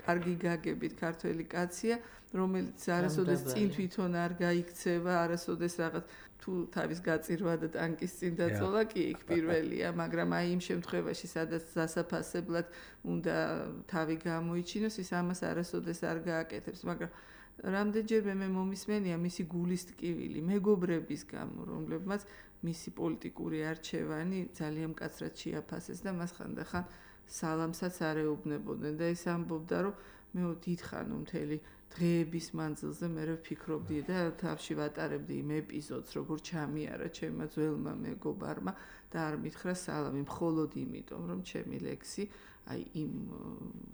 კარგი გაგებით ქართველი კაცია, რომელიც არასოდეს წინ თვითონ არ გაიქცევა, არასოდეს რაღაც თუ თავის გაწირვა და ტანკის წინ დაწოლა კი იქ პირველია, მაგრამ აი იმ შემთხვევაში, სადაც დასაფასებლად უნდა თავი გამოიჩინოს, ის ამას არასოდეს არ გააკეთებს, მაგრამ რამდენჯერმე მე მომისმენია მისი გულის ტკივილი მეგობრების გამო, რომლებმაც მისი პოლიტიკური არჩევანი ძალიან მკაცრად შეაფასეს და მას ხანდახან სალამსაც არ ეუბნებოდნენ და ის ამბობდა, რომ მე დიდხან მთელი დღეების მანძილზე მე ვფიქრობდი და თავში ვატარებდი იმ ეპიზოდს, როგორ ჩამიარა ჩემმა ძველმა მეგობარმა და არ მითხრა სალამი, მხოლოდ იმიტომ, რომ ჩემი ლექსი აი იმ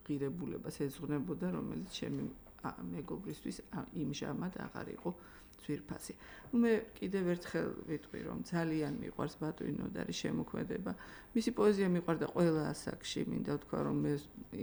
ღირებულებას ეძღვნებოდა, რომელიც ჩემი მეგობრისთვის იმჟამად აღარ იყო ძვირფასი. მე კიდევ ერთხელ ვიტყვი, რომ ძალიან მიყვარს ბატონი ნოდარის შემოქმედება. მისი პოეზია მიყვარდა ყველა ასაკში, მინდა ვთქვა, რომ მე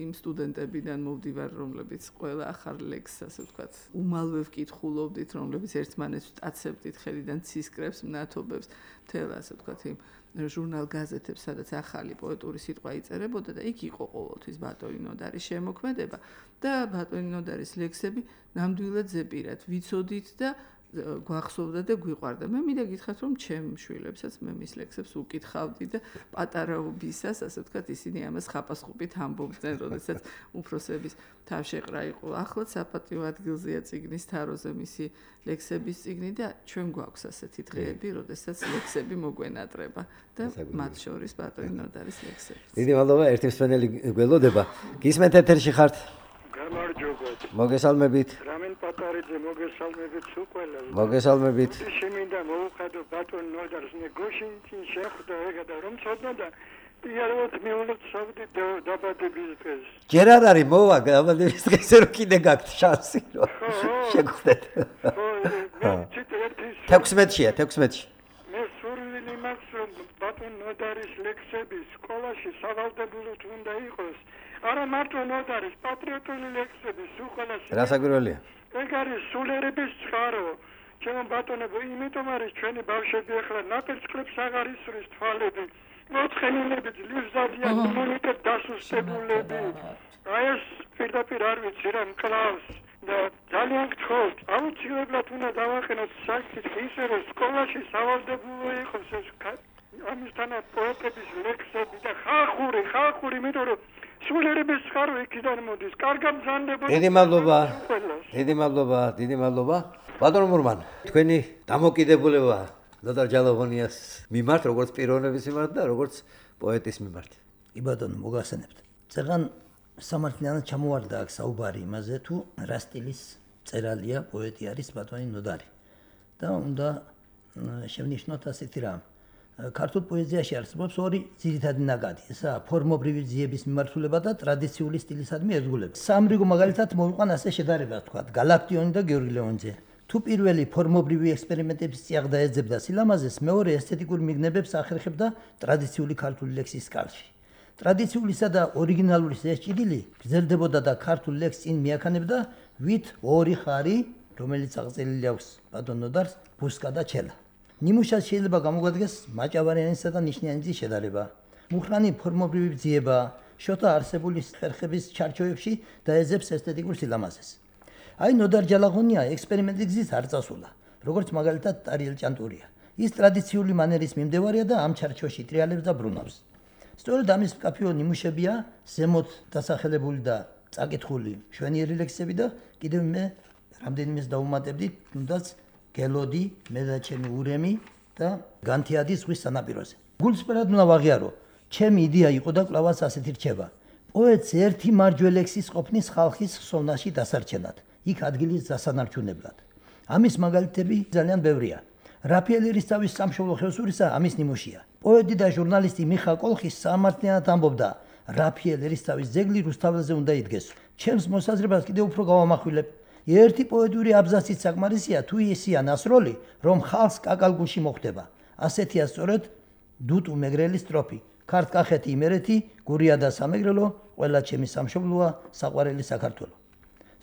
იმ სტუდენტებიდან მოვდივარ, რომლებიც ყველა ახალ ლექსს, ასე ვთქვათ, უმალვე ვკითხულობდით, რომლებიც ერთმანეთს ვტაცებდით ხელიდან ცისკრებს, მნათობებს, მთელ ასე ვთქვათ, იმ ჟურნალ გაზეთებს, სადაც ახალი პოეტური სიტყვა იწერებოდა და იქ იყო ყოველთვის ბატონი ნოდარის შემოქმედება და ბატონი ნოდარის ლექსები ნამდვილად ზეპირად ვიცოდით და გვახსოვდა და გვიყვარდა. მე მინდა გითხრათ, რომ ჩემ შვილებსაც მე მის ლექსებს უკითხავდი და პატარაობისას, ასე ვთქვათ, ისინი ამას ხაპასხუპით ამბობდნენ, როდესაც უფროსების თავშეყრა იყო. ახლაც საპატიო ადგილზეა წიგნის თაროზე მისი ლექსების წიგნი და ჩვენ გვაქვს ასეთი დღეები, როდესაც ლექსები მოგვენატრება და მათ შორის ბატონი ნოდარის ლექსები. დიდი მადლობა, ერთი მსმენელი გველოდება. გისმენთ ეთერში ხართ? გამარჯობათ. მოგესალმებით. რამენ პატარიძე მოგესალმებით უყველა. მოგესალმებით. შემინდა მოუხადო ბატონ ნოდარს ნეგოშინში შეხვდა ეგა და რომ ცოდნოდა იაროთ მეულოთ სავდი დაბადების დღეს. ჯერ არ არის მოვა დაბადების დღესზე რომ კიდე გაქვთ შანსი რომ შეგხვდეთ. 16-ია, 16-ში. მე სურვილი მაქვს რომ ბატონ ნოდარის ლექსები სკოლაში სავალდებულოდ უნდა იყოს. არა მარტო ნოდარის პატრიოტული ლექსები სულხალაში. რასაკვირველია? ეგ არის სულიერების წყარო. ჩემო ბატონებო, იმიტომ არის ჩვენი ბავშვები ახლა ნაპირწყლებს აღარ ისვრის თვალები. მოთხენილები ძლივზადიან იმუნიტეტ დასუსტებულები. აი ეს პირდაპირ არ ვიცი რა მკლავს და ძალიან გთხოვთ, აუცილებლად უნდა დავაყენოთ საკითხი ისე რომ სკოლაში სავალდებულო იყოს ეს ამისთანავე პოეტების ლექსები და ხალხური, იმიტომ რომ სულიერების წყარო იქიდან მოდის. კარგად მზანდებოდა. დიდი მადლობა. ბატონ მურმან, თქვენი დამოკიდებულება ნოდარ ჯალაღონიას მიმართ, როგორც პიროვნების მიმართ და როგორც პოეტის მიმართ. კი ბატონო, მოგახსენებთ. წერან სამართლიანად ჩამოვარდა აქ საუბარი იმაზე, თუ რა სტილის წერალია, პოეტი არის ბატონი ნოდარი. და უნდა შევნიშნოთ ასეთი რამ. ქართულ პოეზიაში არსებობს ორი ძირითადი ნაკადი, ესაა ფორმობრივი ძიების მიმართულება და ტრადიციული სტილისადმი ერთგულება. სამრიგო მაგალითად მოვიყვან ასე შედარება, თქვათ, გალაქტიონი და გიორგი ლეონიძე. თუ პირველი ფორმობრივი ექსპერიმენტების წიაღდა ეძებდა სილამაზეს, მეორე ესთეტიკურ მიგნებებს ახერხებდა ტრადიციული ქართული ლექსის სკალში. ტრადიციულისა და ორიგინალის ეს ჭიდილი გრძელდებოდა და ქართულ ლექსს წინ მიაქანებდა ვით ორი ხარი, რომელიც აღწერილი აქვს ბატონ ნოდარს, ბუსკა და ჩელა. ნიმუშად შეიძლება გამოგვადგეს მაჭავარიანისა და ნიშნიანიძის შედარება. მუხრანი ფორმობრივი ძიება, შოთა არსებული ხერხების ჩარჩოებში დაეძებს ესთეტიკურ სილამაზეს. აი ნოდარ ჯალაღონია ექსპერიმენტის გზით არ წასულა, როგორც მაგალითად ტარიელ ჭანტურია. ის ტრადიციული მანერის მიმდევარია და ამ ჩარჩოში ტრიალებს და ბრუნავს. სწორედ ამის მკაფიო ნიმუშებია ზემოთ დასახელებული და წაკითხული მშვენიერი ლექსები და კიდევ მე რამდენიმეს დავუმატებდი, თუნდაც გელოდი, მე და ჩემი ურემი და განთიადის ზღვის სანაპიროზე. გულწრფელად უნდა ვაღიარო, ჩემი იდეა იყო და კვლავაც ასეთი რჩება. პოეტს ერთი მარჯვე ლექსის ყოფნის ხალხის ხსოვნაში დასარჩენად, იქ ადგილის დასანარჩუნებლად. ამის მაგალითები ძალიან ბევრია. რაფიელ ერისთავის სამშობლო ხევსურისა ამის ნიმუშია. პოეტი და ჟურნალისტი მიხა კოლხი სამართლიანად ამბობდა, რაფიელ ერისთავის ძეგლი რუსთაველზე უნდა იდგეს. ჩემს მოსაზრებას კიდევ უფრო გავამახვილებ. ერთი პოეტური აბზაცით საკმარისია თუ ისია ნასროლი, რომ ხალხს კაკალგუში მოხვდება. ასეთია სწორედ დუტუ მეგრელის სტროფი. ქართკახეთი იმერეთი, გურია და სამეგრელო, ყველა ჩემი სამშობლოა, საყვარელი საქართველო.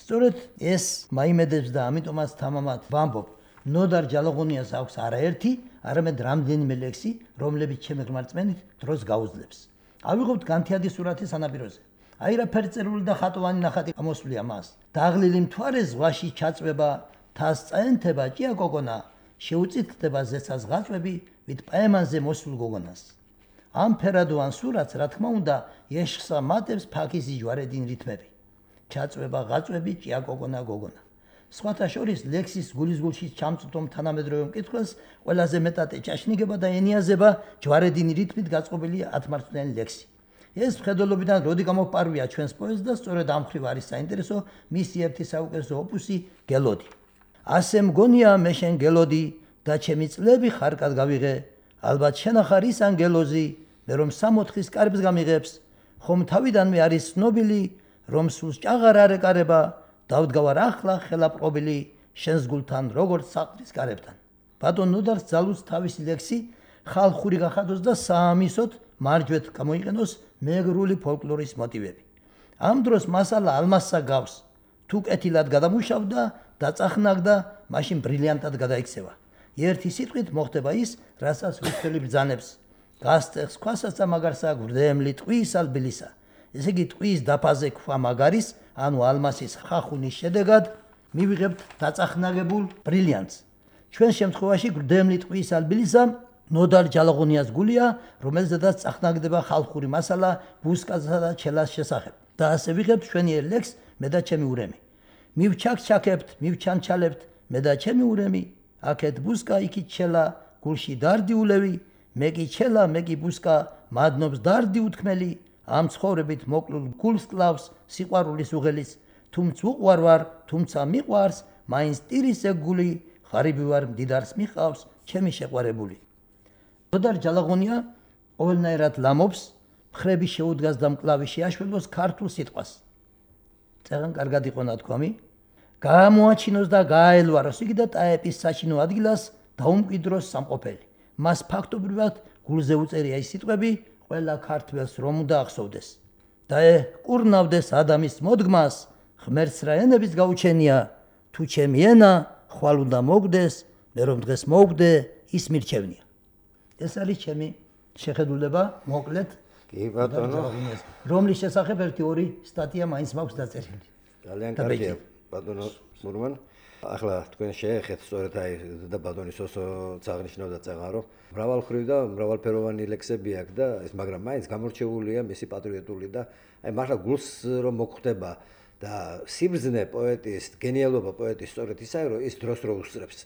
სწორედ ეს მაიმედებს და ამიტომაც თამამად ვამბობ, ნოდარ ჯალაღონიას აქვს არაერთი, არამედ რამდენიმე ლექსი, რომლებიც ჩემი ღმერთმენით დროს გაუძლებს. ავიღოთ განთიადი სურათი სანაპიროზე. აი რა ფერწერული და ხატოვანი ნახატი ამოსვლია მას. დაღლილი მთვარე ზღვაში ჩაწვება, თას წაენთება ჭია გოგონა, შეუწითდება ზეცას ღაწვები, ვით პაემანზე მოსულ გოგონას. ამ ფერადოვან სურათს, რა თქმა უნდა, ეშხსა მატებს ფაქიზი ჯვარედინი რითმები. ჩაწვება ღაწვები ჭია გოგონა გოგონა. სხვათა შორის ლექსის გულისგულში ჩამწვდომ თანამედროვე მკითხველს ყველაზე მეტად ეჭაშნიგება და ენიაზება ჯვარედინი რითმით გაწყობილი 10 მარცვლიანი ლექსი. ეს მხედველობიდან როდი გამოფარვია ჩვენს პოეტს და სწორედ ამ მხრივ არის საინტერესო მისი ერთი საუკეთესო ოპუსი გელოდი. ასე მგონია მე შენ გელოდი და ჩემი წლები ხარკად გავიღე, ალბათ შენახარ ის ანგელოზი, მე რომ 64-ის კარებს გამიღებს, ხომ თავიდანვე არის ცნობილი, რომ სულს ჭაღარ არ ეკარება, დავდგავარ ახლა ხელაპყრობილი, შენს გულთან როგორც საყდრის კარებთან. ბატონ ნოდარს ძალუց თავისი ლექსი ხალხური გახადოს და საამისოდ მარჯვეთ გამოიყენოს მეგრული ფოლკლორის მოტივები. ამ დროს მასალა ალმასსა გავს, თუ კეთილად გადამუშავდა და წახნაგდა, მაშინ ბრილიანტად გადაიქცევა. ერთი სიტყვით მოხდება ის, რასაც ვისწრები ბრძანებს. გასწეხს ქვასაცა მაგარსა გვრდემლი ტყვის ალბილისა. ესე იგი ტყვის დაფაზე ქვა მაგარის, ანუ ალმასის ხახუნის შედეგად მივიღებთ დაწახნაგებულ ბრილიანტს. ჩვენ შემთხვევაში გვრდემლი ტყვის ალბილისა ნოდარ ჯალაღონიას გულია, რომელზედაც წახნაგდება ხალხური მასალა ბუსკასა და ჩელას შესახებ. და ასე ვიღებთ ჩვენი ლექსს მე და ჩემი ურემი. მივჩაქჩაქებთ, მივჩანჩალებთ მე და ჩემი ურემი. აქეთ ბუსკა, იქით ჩელა, გულში დარდი ულევი, მე კი ჩელა, მე კი ბუსკა, მადნობს დარდი უთქმელი, ამ ცხოვრებით მოკლულ გულს კლავს სიყვარულის უღელის, თუმც უყვარ ვარ, თუმცა მიყვარს, მაინც ტირის ეგული, ღარიბი ვარ, მდიდარს მიყავს, ჩემი შეყვარებული. ნოდარ ჯალაღონია ყოველნაირად ლამობს, მხრები შეუდგას და მკლავი შეაშველოს ქართულ სიტყვას. წეგან კარგად იყო ნათქვამი, გაამოაჩინოს და გააელვაროს იგი და ტაეპის საჩინო ადგილას დაუმკვიდროს სამყოფელი. მას ფაქტობრივად გულზე უწერია ის სიტყვები, ყველა ქართველს რომ უნდა ახსოვდეს. და კურნავდეს ადამის მოდგმას, ღმერთს რა ენების გაუჩენია, თუ ჩემი ენა ხვალ უნდა მოგდეს, მე რომ დღეს მოვგდე, ის მირჩევნია. ეს არის ჩემი შეხედულება, მოკლედ. კი ბატონო, რომლის შესახებ 1-2 სტატია მაინც მაქვს დაწერილი. ძალიან კარგია ბატონო მურმან. ახლა თქვენ შეეხეთ სწორედ აი და ბატონის ოსო წაღნიშნავდა წეღარო. მრავალხრივ და მრავალფეროვანი ლექსები აქვს და ეს მაგრამ მაინც გამორჩეულია მისი პატრიოტული და აი მართლა გულს რომ მოხვდება და სიბრძნე პოეტის, გენიალობა პოეტის სწორედ ისაა, რომ ის დროს რო უსწრებს.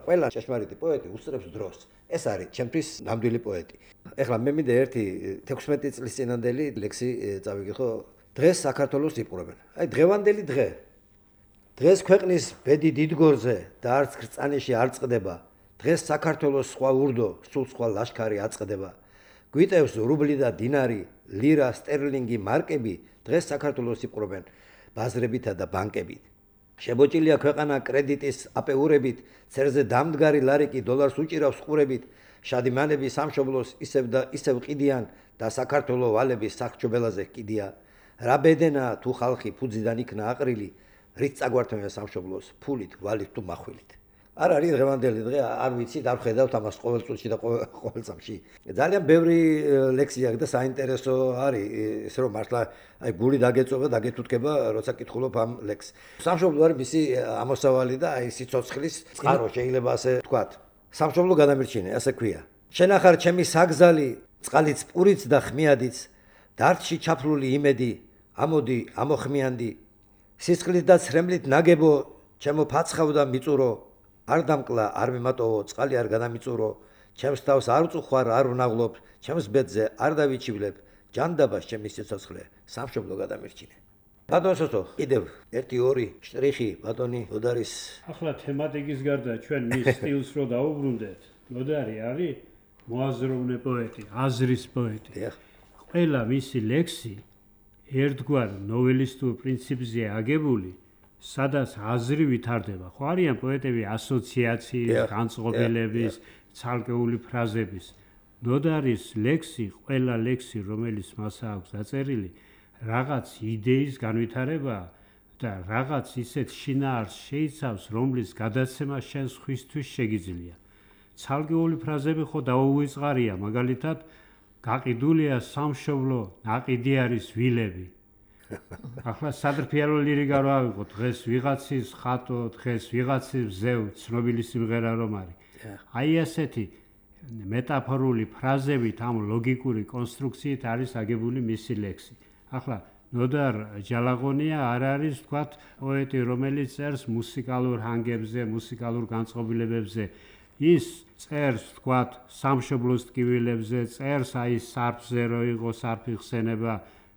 ყველა ჭეშმარიტი პოეტი უსწრებს დროს. ეს არის ჩემთვის ნამდვილი პოეტი. ეხლა მე მინდა ერთი 16 წლის წინანდელი ლექსი წავიგიხო. დღეს საქართველოს იპყრობენ. აი დღევანდელი დღე. დღეს ქვეყნის ბედი დიდგორზე და არც ქრწანიში არ წყდება. დღეს საქართველოს სხვა ურდო, სულ სხვა ლაშქარი აწყდება. გვიტევს რუბლი და დინარი, ლირა, სტერლინგი, მარკები, დღეს საქართველოს იპყრობენ ბაზრებითა და ბანკებით. შებოჭილია ქვეყანა კრედიტის აპეურებით, ცერზე დამდგარი ლარიკი დოლარს უჭირავს ყურებით. შადიმანები სამშობლოს ისევ და ისევ ყიდიან და საქართველოს ვალები სახრჩობელაზე ყიდია. რა ბედენა თუ ხალხი ფუძიდან იქნა აყრილი, რით წაგვართმევენ სამშობლოს ფულით, ვალით თუ מחვილით. არ არის დღევანდელი დღე, არ ვიცით, არ ხედავთ ამას ყოველ წუთში და ყოველ წამში. ძალიან ბევრი ლექსი აქვს და საინტერესო არის, ის რომ მართლა აი გული დაგეწოვა, დაგეთუთქება, როცა კითხულობ ამ ლექსს. სამშობლო არის მისი ამოსავალი და აი სიცოცხლის წყარო, შეიძლება ასე ვთქვათ. სამშობლო გადამირჩინე, ასე ქვია. შენახარ ჩემი საგზალი, წყალიც პურიც და ხმიადიც, დარდში ჩაფლული იმედი, ამოდი, ამოხმიანდი. სისხლით და ცრემლით ნაგებო, ჩემო ფაცხავ და მიწურო, არ დამკლა, არ მიმატოვო, წყალი არ გადამიწურო, ჩემს თავს არ უწუხვარ, არ ვნაღლობ, ჩემს ბედზე არ დავიჩივლებ, ჯანდაბას ჩემი სიცოცხლე, სამშობლო გადამირჩინე. ბატონო სოსო, კიდევ 1-2 შტრიხი ბატონი ნოდარის. ახლა თემატიკის გარდა ჩვენ მის სტილს რო დაუბრუნდეთ, ნოდარი არის მოაზროვნე პოეტი, აზრის პოეტი. ყველა მისი ლექსი ერთგვარ ნოველისტურ პრინციპზე აგებული, სადაც აზრი ვითარდება. ხო არიან პოეტები ასოციაციის, განწყობილების, ცალკეული ფრაზების. ნოდარის ლექსი, ყველა ლექსი, რომელიც მას აქვს დაწერილი, რაღაც იდეის განვითარებაა და რაღაც ისეთ შინაარსს შეიცავს, რომლის გადაცემა შენ სხვისთვის შეგიძლია. ცალკეული ფრაზები ხო დაუვიწყარია, მაგალითად, გაყიდულია სამშობლო, ნაყიდი არის ვილები. ახლა სადრფიარო ლირიკა რა ავიღოთ, დღეს ვიღაცის ხატო, დღეს ვიღაცის ზევ, ცნობილი სიმღერა რომ არის. აი ასეთი მეტაფორული ფრაზებით, ამ ლოგიკური კონსტრუქციით არის აგებული მისი ლექსი. ახლა ნოდარ ჯალაღონია არ არის, თქვათ, პოეტი, რომელიც წერს მუსიკალურ ჰანგებზე, მუსიკალურ განწყობილებებზე. ის წერს, თქვათ, სამშობლოს ტკივილებზე, წერს აი სარფზე რო იყო სარფი ხსენება,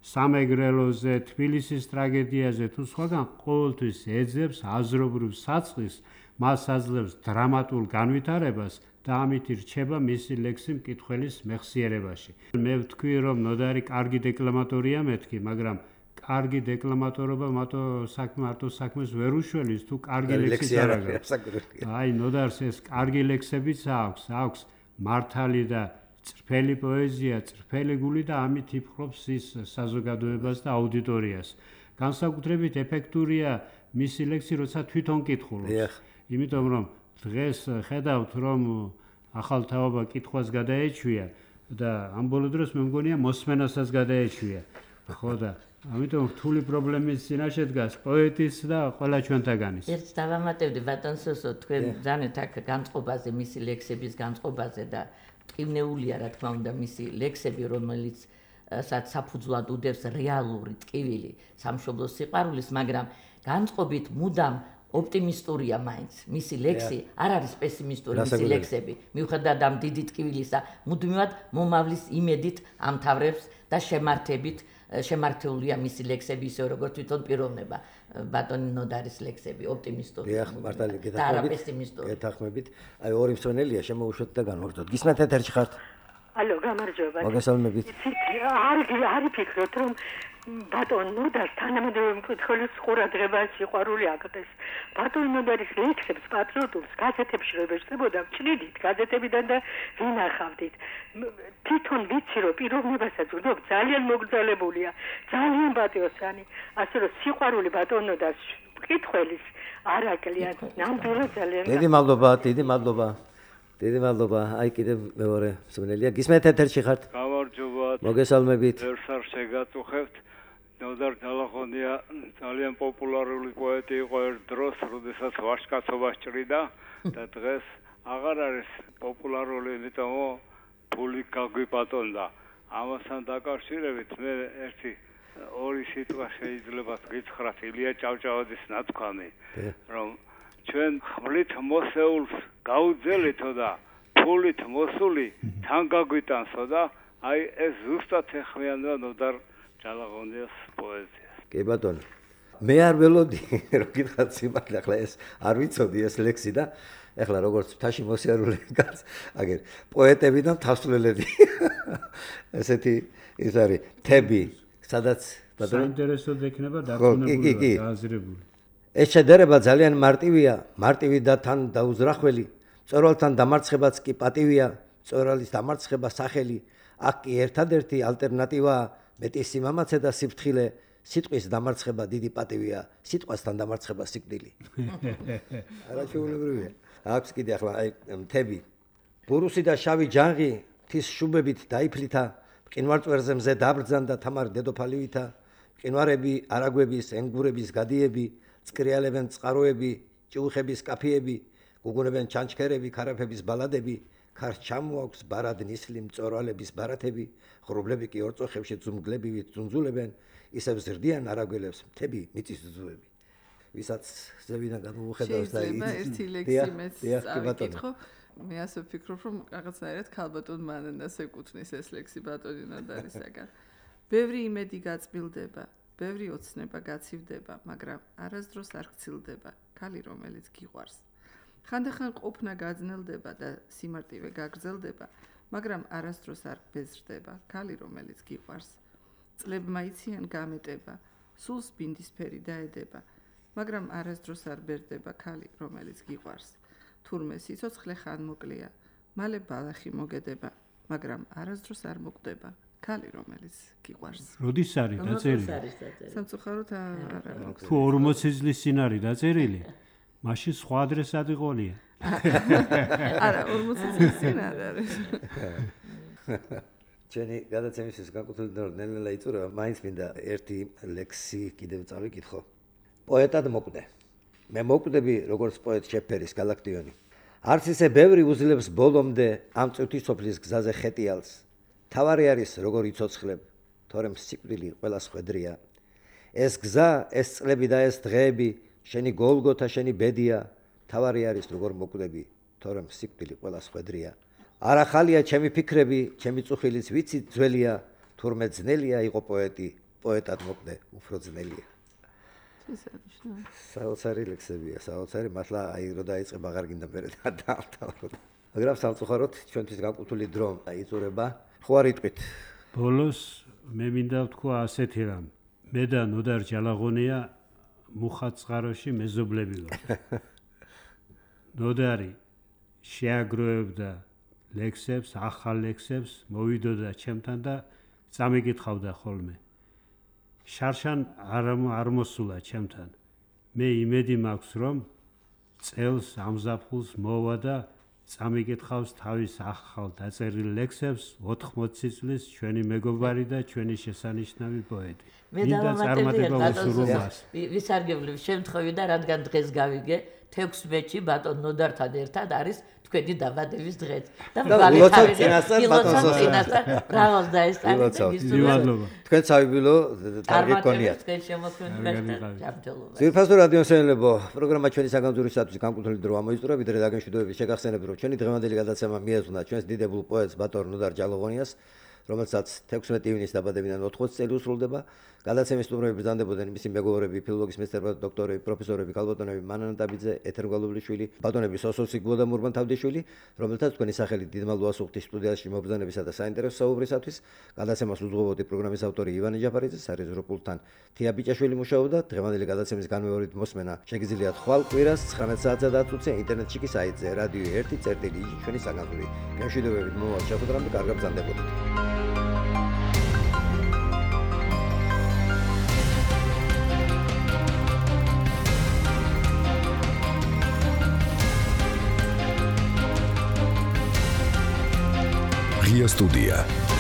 სამეგრელოზე, თბილისის ტრაგედიაზე თუ სხვაგან ყოველთვის ეძებს აზრობრივ საწყისს, მას აძლევს დრამატულ განვითარებას და ამით რჩება მისი ლექსი მკითხველის მეხსიერებაში. მე ვთქვი, რომ ნოდარი კარგი დეკლამატორია მეთქი, მაგრამ კარგი დეკლამატორობა მარტო საქმეს ვერ უშველის თუ კარგი ლექსიც არ აქვს. აი ნოდარს ეს კარგი ლექსებიც აქვს მართალი და წრფელი პოეზია, წრფელი გული და ამით იფხრობს ის საზოგადოებას და აუდიტორიას. განსაკუთრებით ეფექტურია მისი ლექსი, როცა თვითონ კითხულობს. იმიტომ რომ დღეს ხედავთ, რომ ახალ თაობა კითხვას გადაეჩვია და ამ ბოლო დროს მე მგონია მოსმენასაც გადაეჩვია. ხო და ამიტომ რთული პრობლემის წინაშე დგას პოეტის და ყველა ჩვენთაგანის. ერთ დავამატებდი ბატონ სოსო, თქვენ ძანეთ აქ განწყობაზე, მისი ლექსების განწყობაზე და ტკივნეულია რა თქმა უნდა მისი ლექსები, რომელიც საფუძვლად უდევს რეალური ტკივილი სამშობლოს სიყვარულის, მაგრამ განწყობით მუდამ ოპტიმისტურია მაინც. მისი ლექსი არ არის პესიმისტური, მისი ლექსები. მიუხედავად ამ დიდი ტკივილისა, მუდმივად მომავლის იმედით ამთავრებს და შემართებულია მისი ලექსები ისე როგორც თვითონ პიროვნება. ბატონი ნოდარის ლექსები ოპტიმისტური. დიახ, მართალი გეთანხმებით. გეთანხმებით. აი ორი მსვენელია შემოუშვეთ და განვარდოთ. გისმენთ ეთერში ხართ? ალო, გამარჯობა. მოგესალმებით. არ ფიქრობთ რომ ბატონ ნოდარს თანამედროვე მკითხველის ყურადღება სიყვარული აკეთეს. ბატონ ნოდარის ლექსებს პატრიოტულს გაზეთებში რო ეშწებოდა, ჭრიდით გაზეთებიდან და ვინახავდით. თვითონ ვიცი რომ პიროვნებასაც ვდობ, ძალიან მოგრძალებულია, ძალიან პატიოსანი. ასე რომ სიყვარული ბატონ ნოდარს მკითხველის არ აკლია. ნამდვილად ძალიან. დიდი მადლობა. დიდი მადლობა. აი კიდევ მეორე მსმენელია. გისმენთ ეთერში ხართ? გამარჯობა. მოგესალმებით. ერთსარ შეგაწუხებთ. ნოდარ ჯალაღონია ძალიან პოპულარული პოეტი იყო ერთ დროს, როდესაც ვაჟკაცობა სჭრიდა და დღეს აღარ არის პოპულარული, იმიტომ ფული გაგვიპატონდა. ამასთან დაკავშირებით მე ორი სიტყვა შეიძლება გითხრათ ილია ჭავჭავაძის ნათქვამი, რომ ჩვენ ხმლით მოსეულს გაუძელითო და ფულით მოსული თან გაგვიტანსო და აი ეს ზუსტად ეხმიანება ნოდარ ჯალაღონიას პოეზიას. კი ბატონო. მე არ ველოდი რომ გითხრათ სიმართლე, ახლა ეს არ ვიცოდი ეს ლექსი და ახლა როგორც მთაში მოსიარულე კაც, აგერ პოეტები და მთასვლელები. ესეთი ის არის თები, სადაც ბატონო საინტერესოდ ექნება დაკონებული და აზრებული. ეს შედარება ძალიან მარტივი და თან დაუზრახველი. მწვერვალთან დამარცხებაც კი პატივია, მწვერვალის დამარცხება სახელი. აქ კი ერთადერთი ალტერნატივაა მეტი სიმამაცე და სიფრთხილე. სიტყვის დამარცხება დიდი პატივია, სიტყვასთან დამარცხება სიკვდილი. არაჩვეულებრივია. აქვს კიდე ახლა აი მთები. ბურუსი და შავი ჯანღი თის შუბებით დაიფლითა, მყინვარწვერზე მზე დაბრძანდა თამარ დედოფალივითა. მყინვარები, არაგვების, ენგურების გადიები, წკრიალებენ წყაროები, ჭიუხების კაფიები, გუგუნებენ ჩანჩქერები, ქარაფების ბალადები, ქარს ჩამოაქვს ბარად ნისლი მწორვალების ბარათები, ღრუბლები კი ორწოხებში ძუმგლებივით ძუნძულებენ, ისევ ზრდიან არაგველებს მთები მიწის ძუები. ვისაც ზევიდან გამოუხედავს და ერთი ლექსი მეც წავიკითხო. მე ასე ვფიქრობ, რომ რაღაცნაირად ქალბატონ მანენას ეკუთვნის ეს ლექსი ბატონი ნოდარისაგან. ბევრი იმედი გაწმილდება, ბევრი ოცნება გაცივდება, მაგრამ არასდროს არ გცილდება ქალი, რომელიც გიყვარს. ხანდახან ყოფნა გაძნელდება და სიმარტივე გაგრძელდება, მაგრამ არასდროს არ ბეზრდება ქალი, რომელიც გიყვარს. წლებმა იციან გამეტება, სულს ბინდისფერი დაედება. მაგრამ არასდროს არ ბერდება ქალი, რომელიც გიყვარს. თურმე სიცოცხლე ხანმოკლეა, მალე ბალახი მოგედება, მაგრამ არასდროს არ მოკვდება ქალი, რომელიც გიყვარს. როდის არის დაწერილი? სამწუხაროდ არა. თუ 40 წლის წინ არის დაწერილი, მაშინ სხვა ადრესად იყოლია. არა, 40 წლის წინ არ არის. ჩვენი გადაცემისთვის განკუთვნილ ნელ-ნელა იწურება, მაინც მინდა ერთი ლექსი კიდევ წავიკითხო. პოეტად მოკვდე. მე მოკვდები როგორც პოეტ შეფერის გალაქტიონი. არც ისე ბევრი უძლებს ბოლომდე ამ წუთის სოფლის გზაზე ხეტიალს. თავარი არის როგორ იცოცხლებ, თორემ სიკვდილი ყველა ხვედრია. ეს გზა, ეს წლები და ეს დღეები, შენი გოლგოთა, შენი ბედია, თავარი არის როგორ მოკვდები, თორემ სიკვდილი ყველა ხვედრია. არ ახალია ჩემი ფიქრები, ჩემი წუხილიც ვიცი ძველია, თურმე ძნელია იყო პოეტი, პოეტად მოკვდე, უფრო ძნელია. საოცარი ლექსებია, საოცარი, მართლა აი რო დაიწყება აღარ გინდა მერე დაავთავროთ. მაგრამ სამწუხაროდ ჩვენთვის განკუთვნილი დრო იწურება. ხო არ იტყვით? ბოლოს მე მინდა ვთქვა ასეთი რამ. მე და ნოდარ ჯალაღონია მუხაწყაროში მეზობლები ვართ. ნოდარი შეაგროვებდა ლექსებს, ახალ ლექსებს, მოვიდოდა ჩემთან და წამიკითხავდა ხოლმე. შარშან არ მოსულა ჩემთან. მე იმედი მაქვს, რომ წელს ამზაფხულს მოვა და წამიკითხავს თავის ახალ დაწერილ ლექსებს 80 წლის ჩვენი მეგობარი და ჩვენი შესანიშნავი პოეტი. მინდა წარმატება ვუსურვო მას. ვისარგებლებ შემთხვევით და რადგან დღეს გავიგე 16-ში ბატონ ნოდართან ერთად არის თქვენი დაბადების დღე. და ვილოცავ წინასწარ ბატონს. ბრავოს დაესწრაფეთ. თქვენ საიუბილო ტარგეტ გქონიათ. თქვენ შემოქმედებაში ჯანმრთელობა. ძირფასო რადიოსმენელებო, პროგრამა ჩვენი საგანძურისათვის განკუთვნილი დრო ამოიწურა, ვიდრე დაგემშვიდობებით შეგახსენებ, რომ ჩვენი დღევანდელი გადაცემა მიეძღვნა ჩვენს დიდებულ პოეტს ბატონ ნოდარ ჯალაღონიას, რომელსაც 16 ივნისს დაბადებიდან 80 წელი უსრულდება. გადაცემის სტუმრები ბრძანდებოდნენ მისი მეგობრები, ფილოლოგიის მეცნიერებათა დოქტორები, პროფესორები, ქალბატონები მანანა დაბიძე, ეთერ გვალულიშვილი, ბატონები სოსო სიგბო და მურმან თავდიშვილი, რომელთაც თქვენი სახელით დიდმალვა ასუხთის სტუდიაში მობრძანებისა და საინტერესო საუბრისათვის. გადაცემას უძღვებოდი პროგრამის ავტორი ივანე ჯაფარიძე, სარეზერვო პულტთან თია ბიჭაშვილი მუშაობდა. დღევანდელი გადაცემის განმეორებით მოსმენა შეგიძლიათ ხვალ კვირას 19 საათსა და 10 წუთზე ინტერნეტში კი საიტზე რადიო 1.წერტილი ჩვენი საგანძური. გემშვიდობებით მომავალ შეხვედრამდე კარგად ბრძანდებოდეთ. Ria Studia.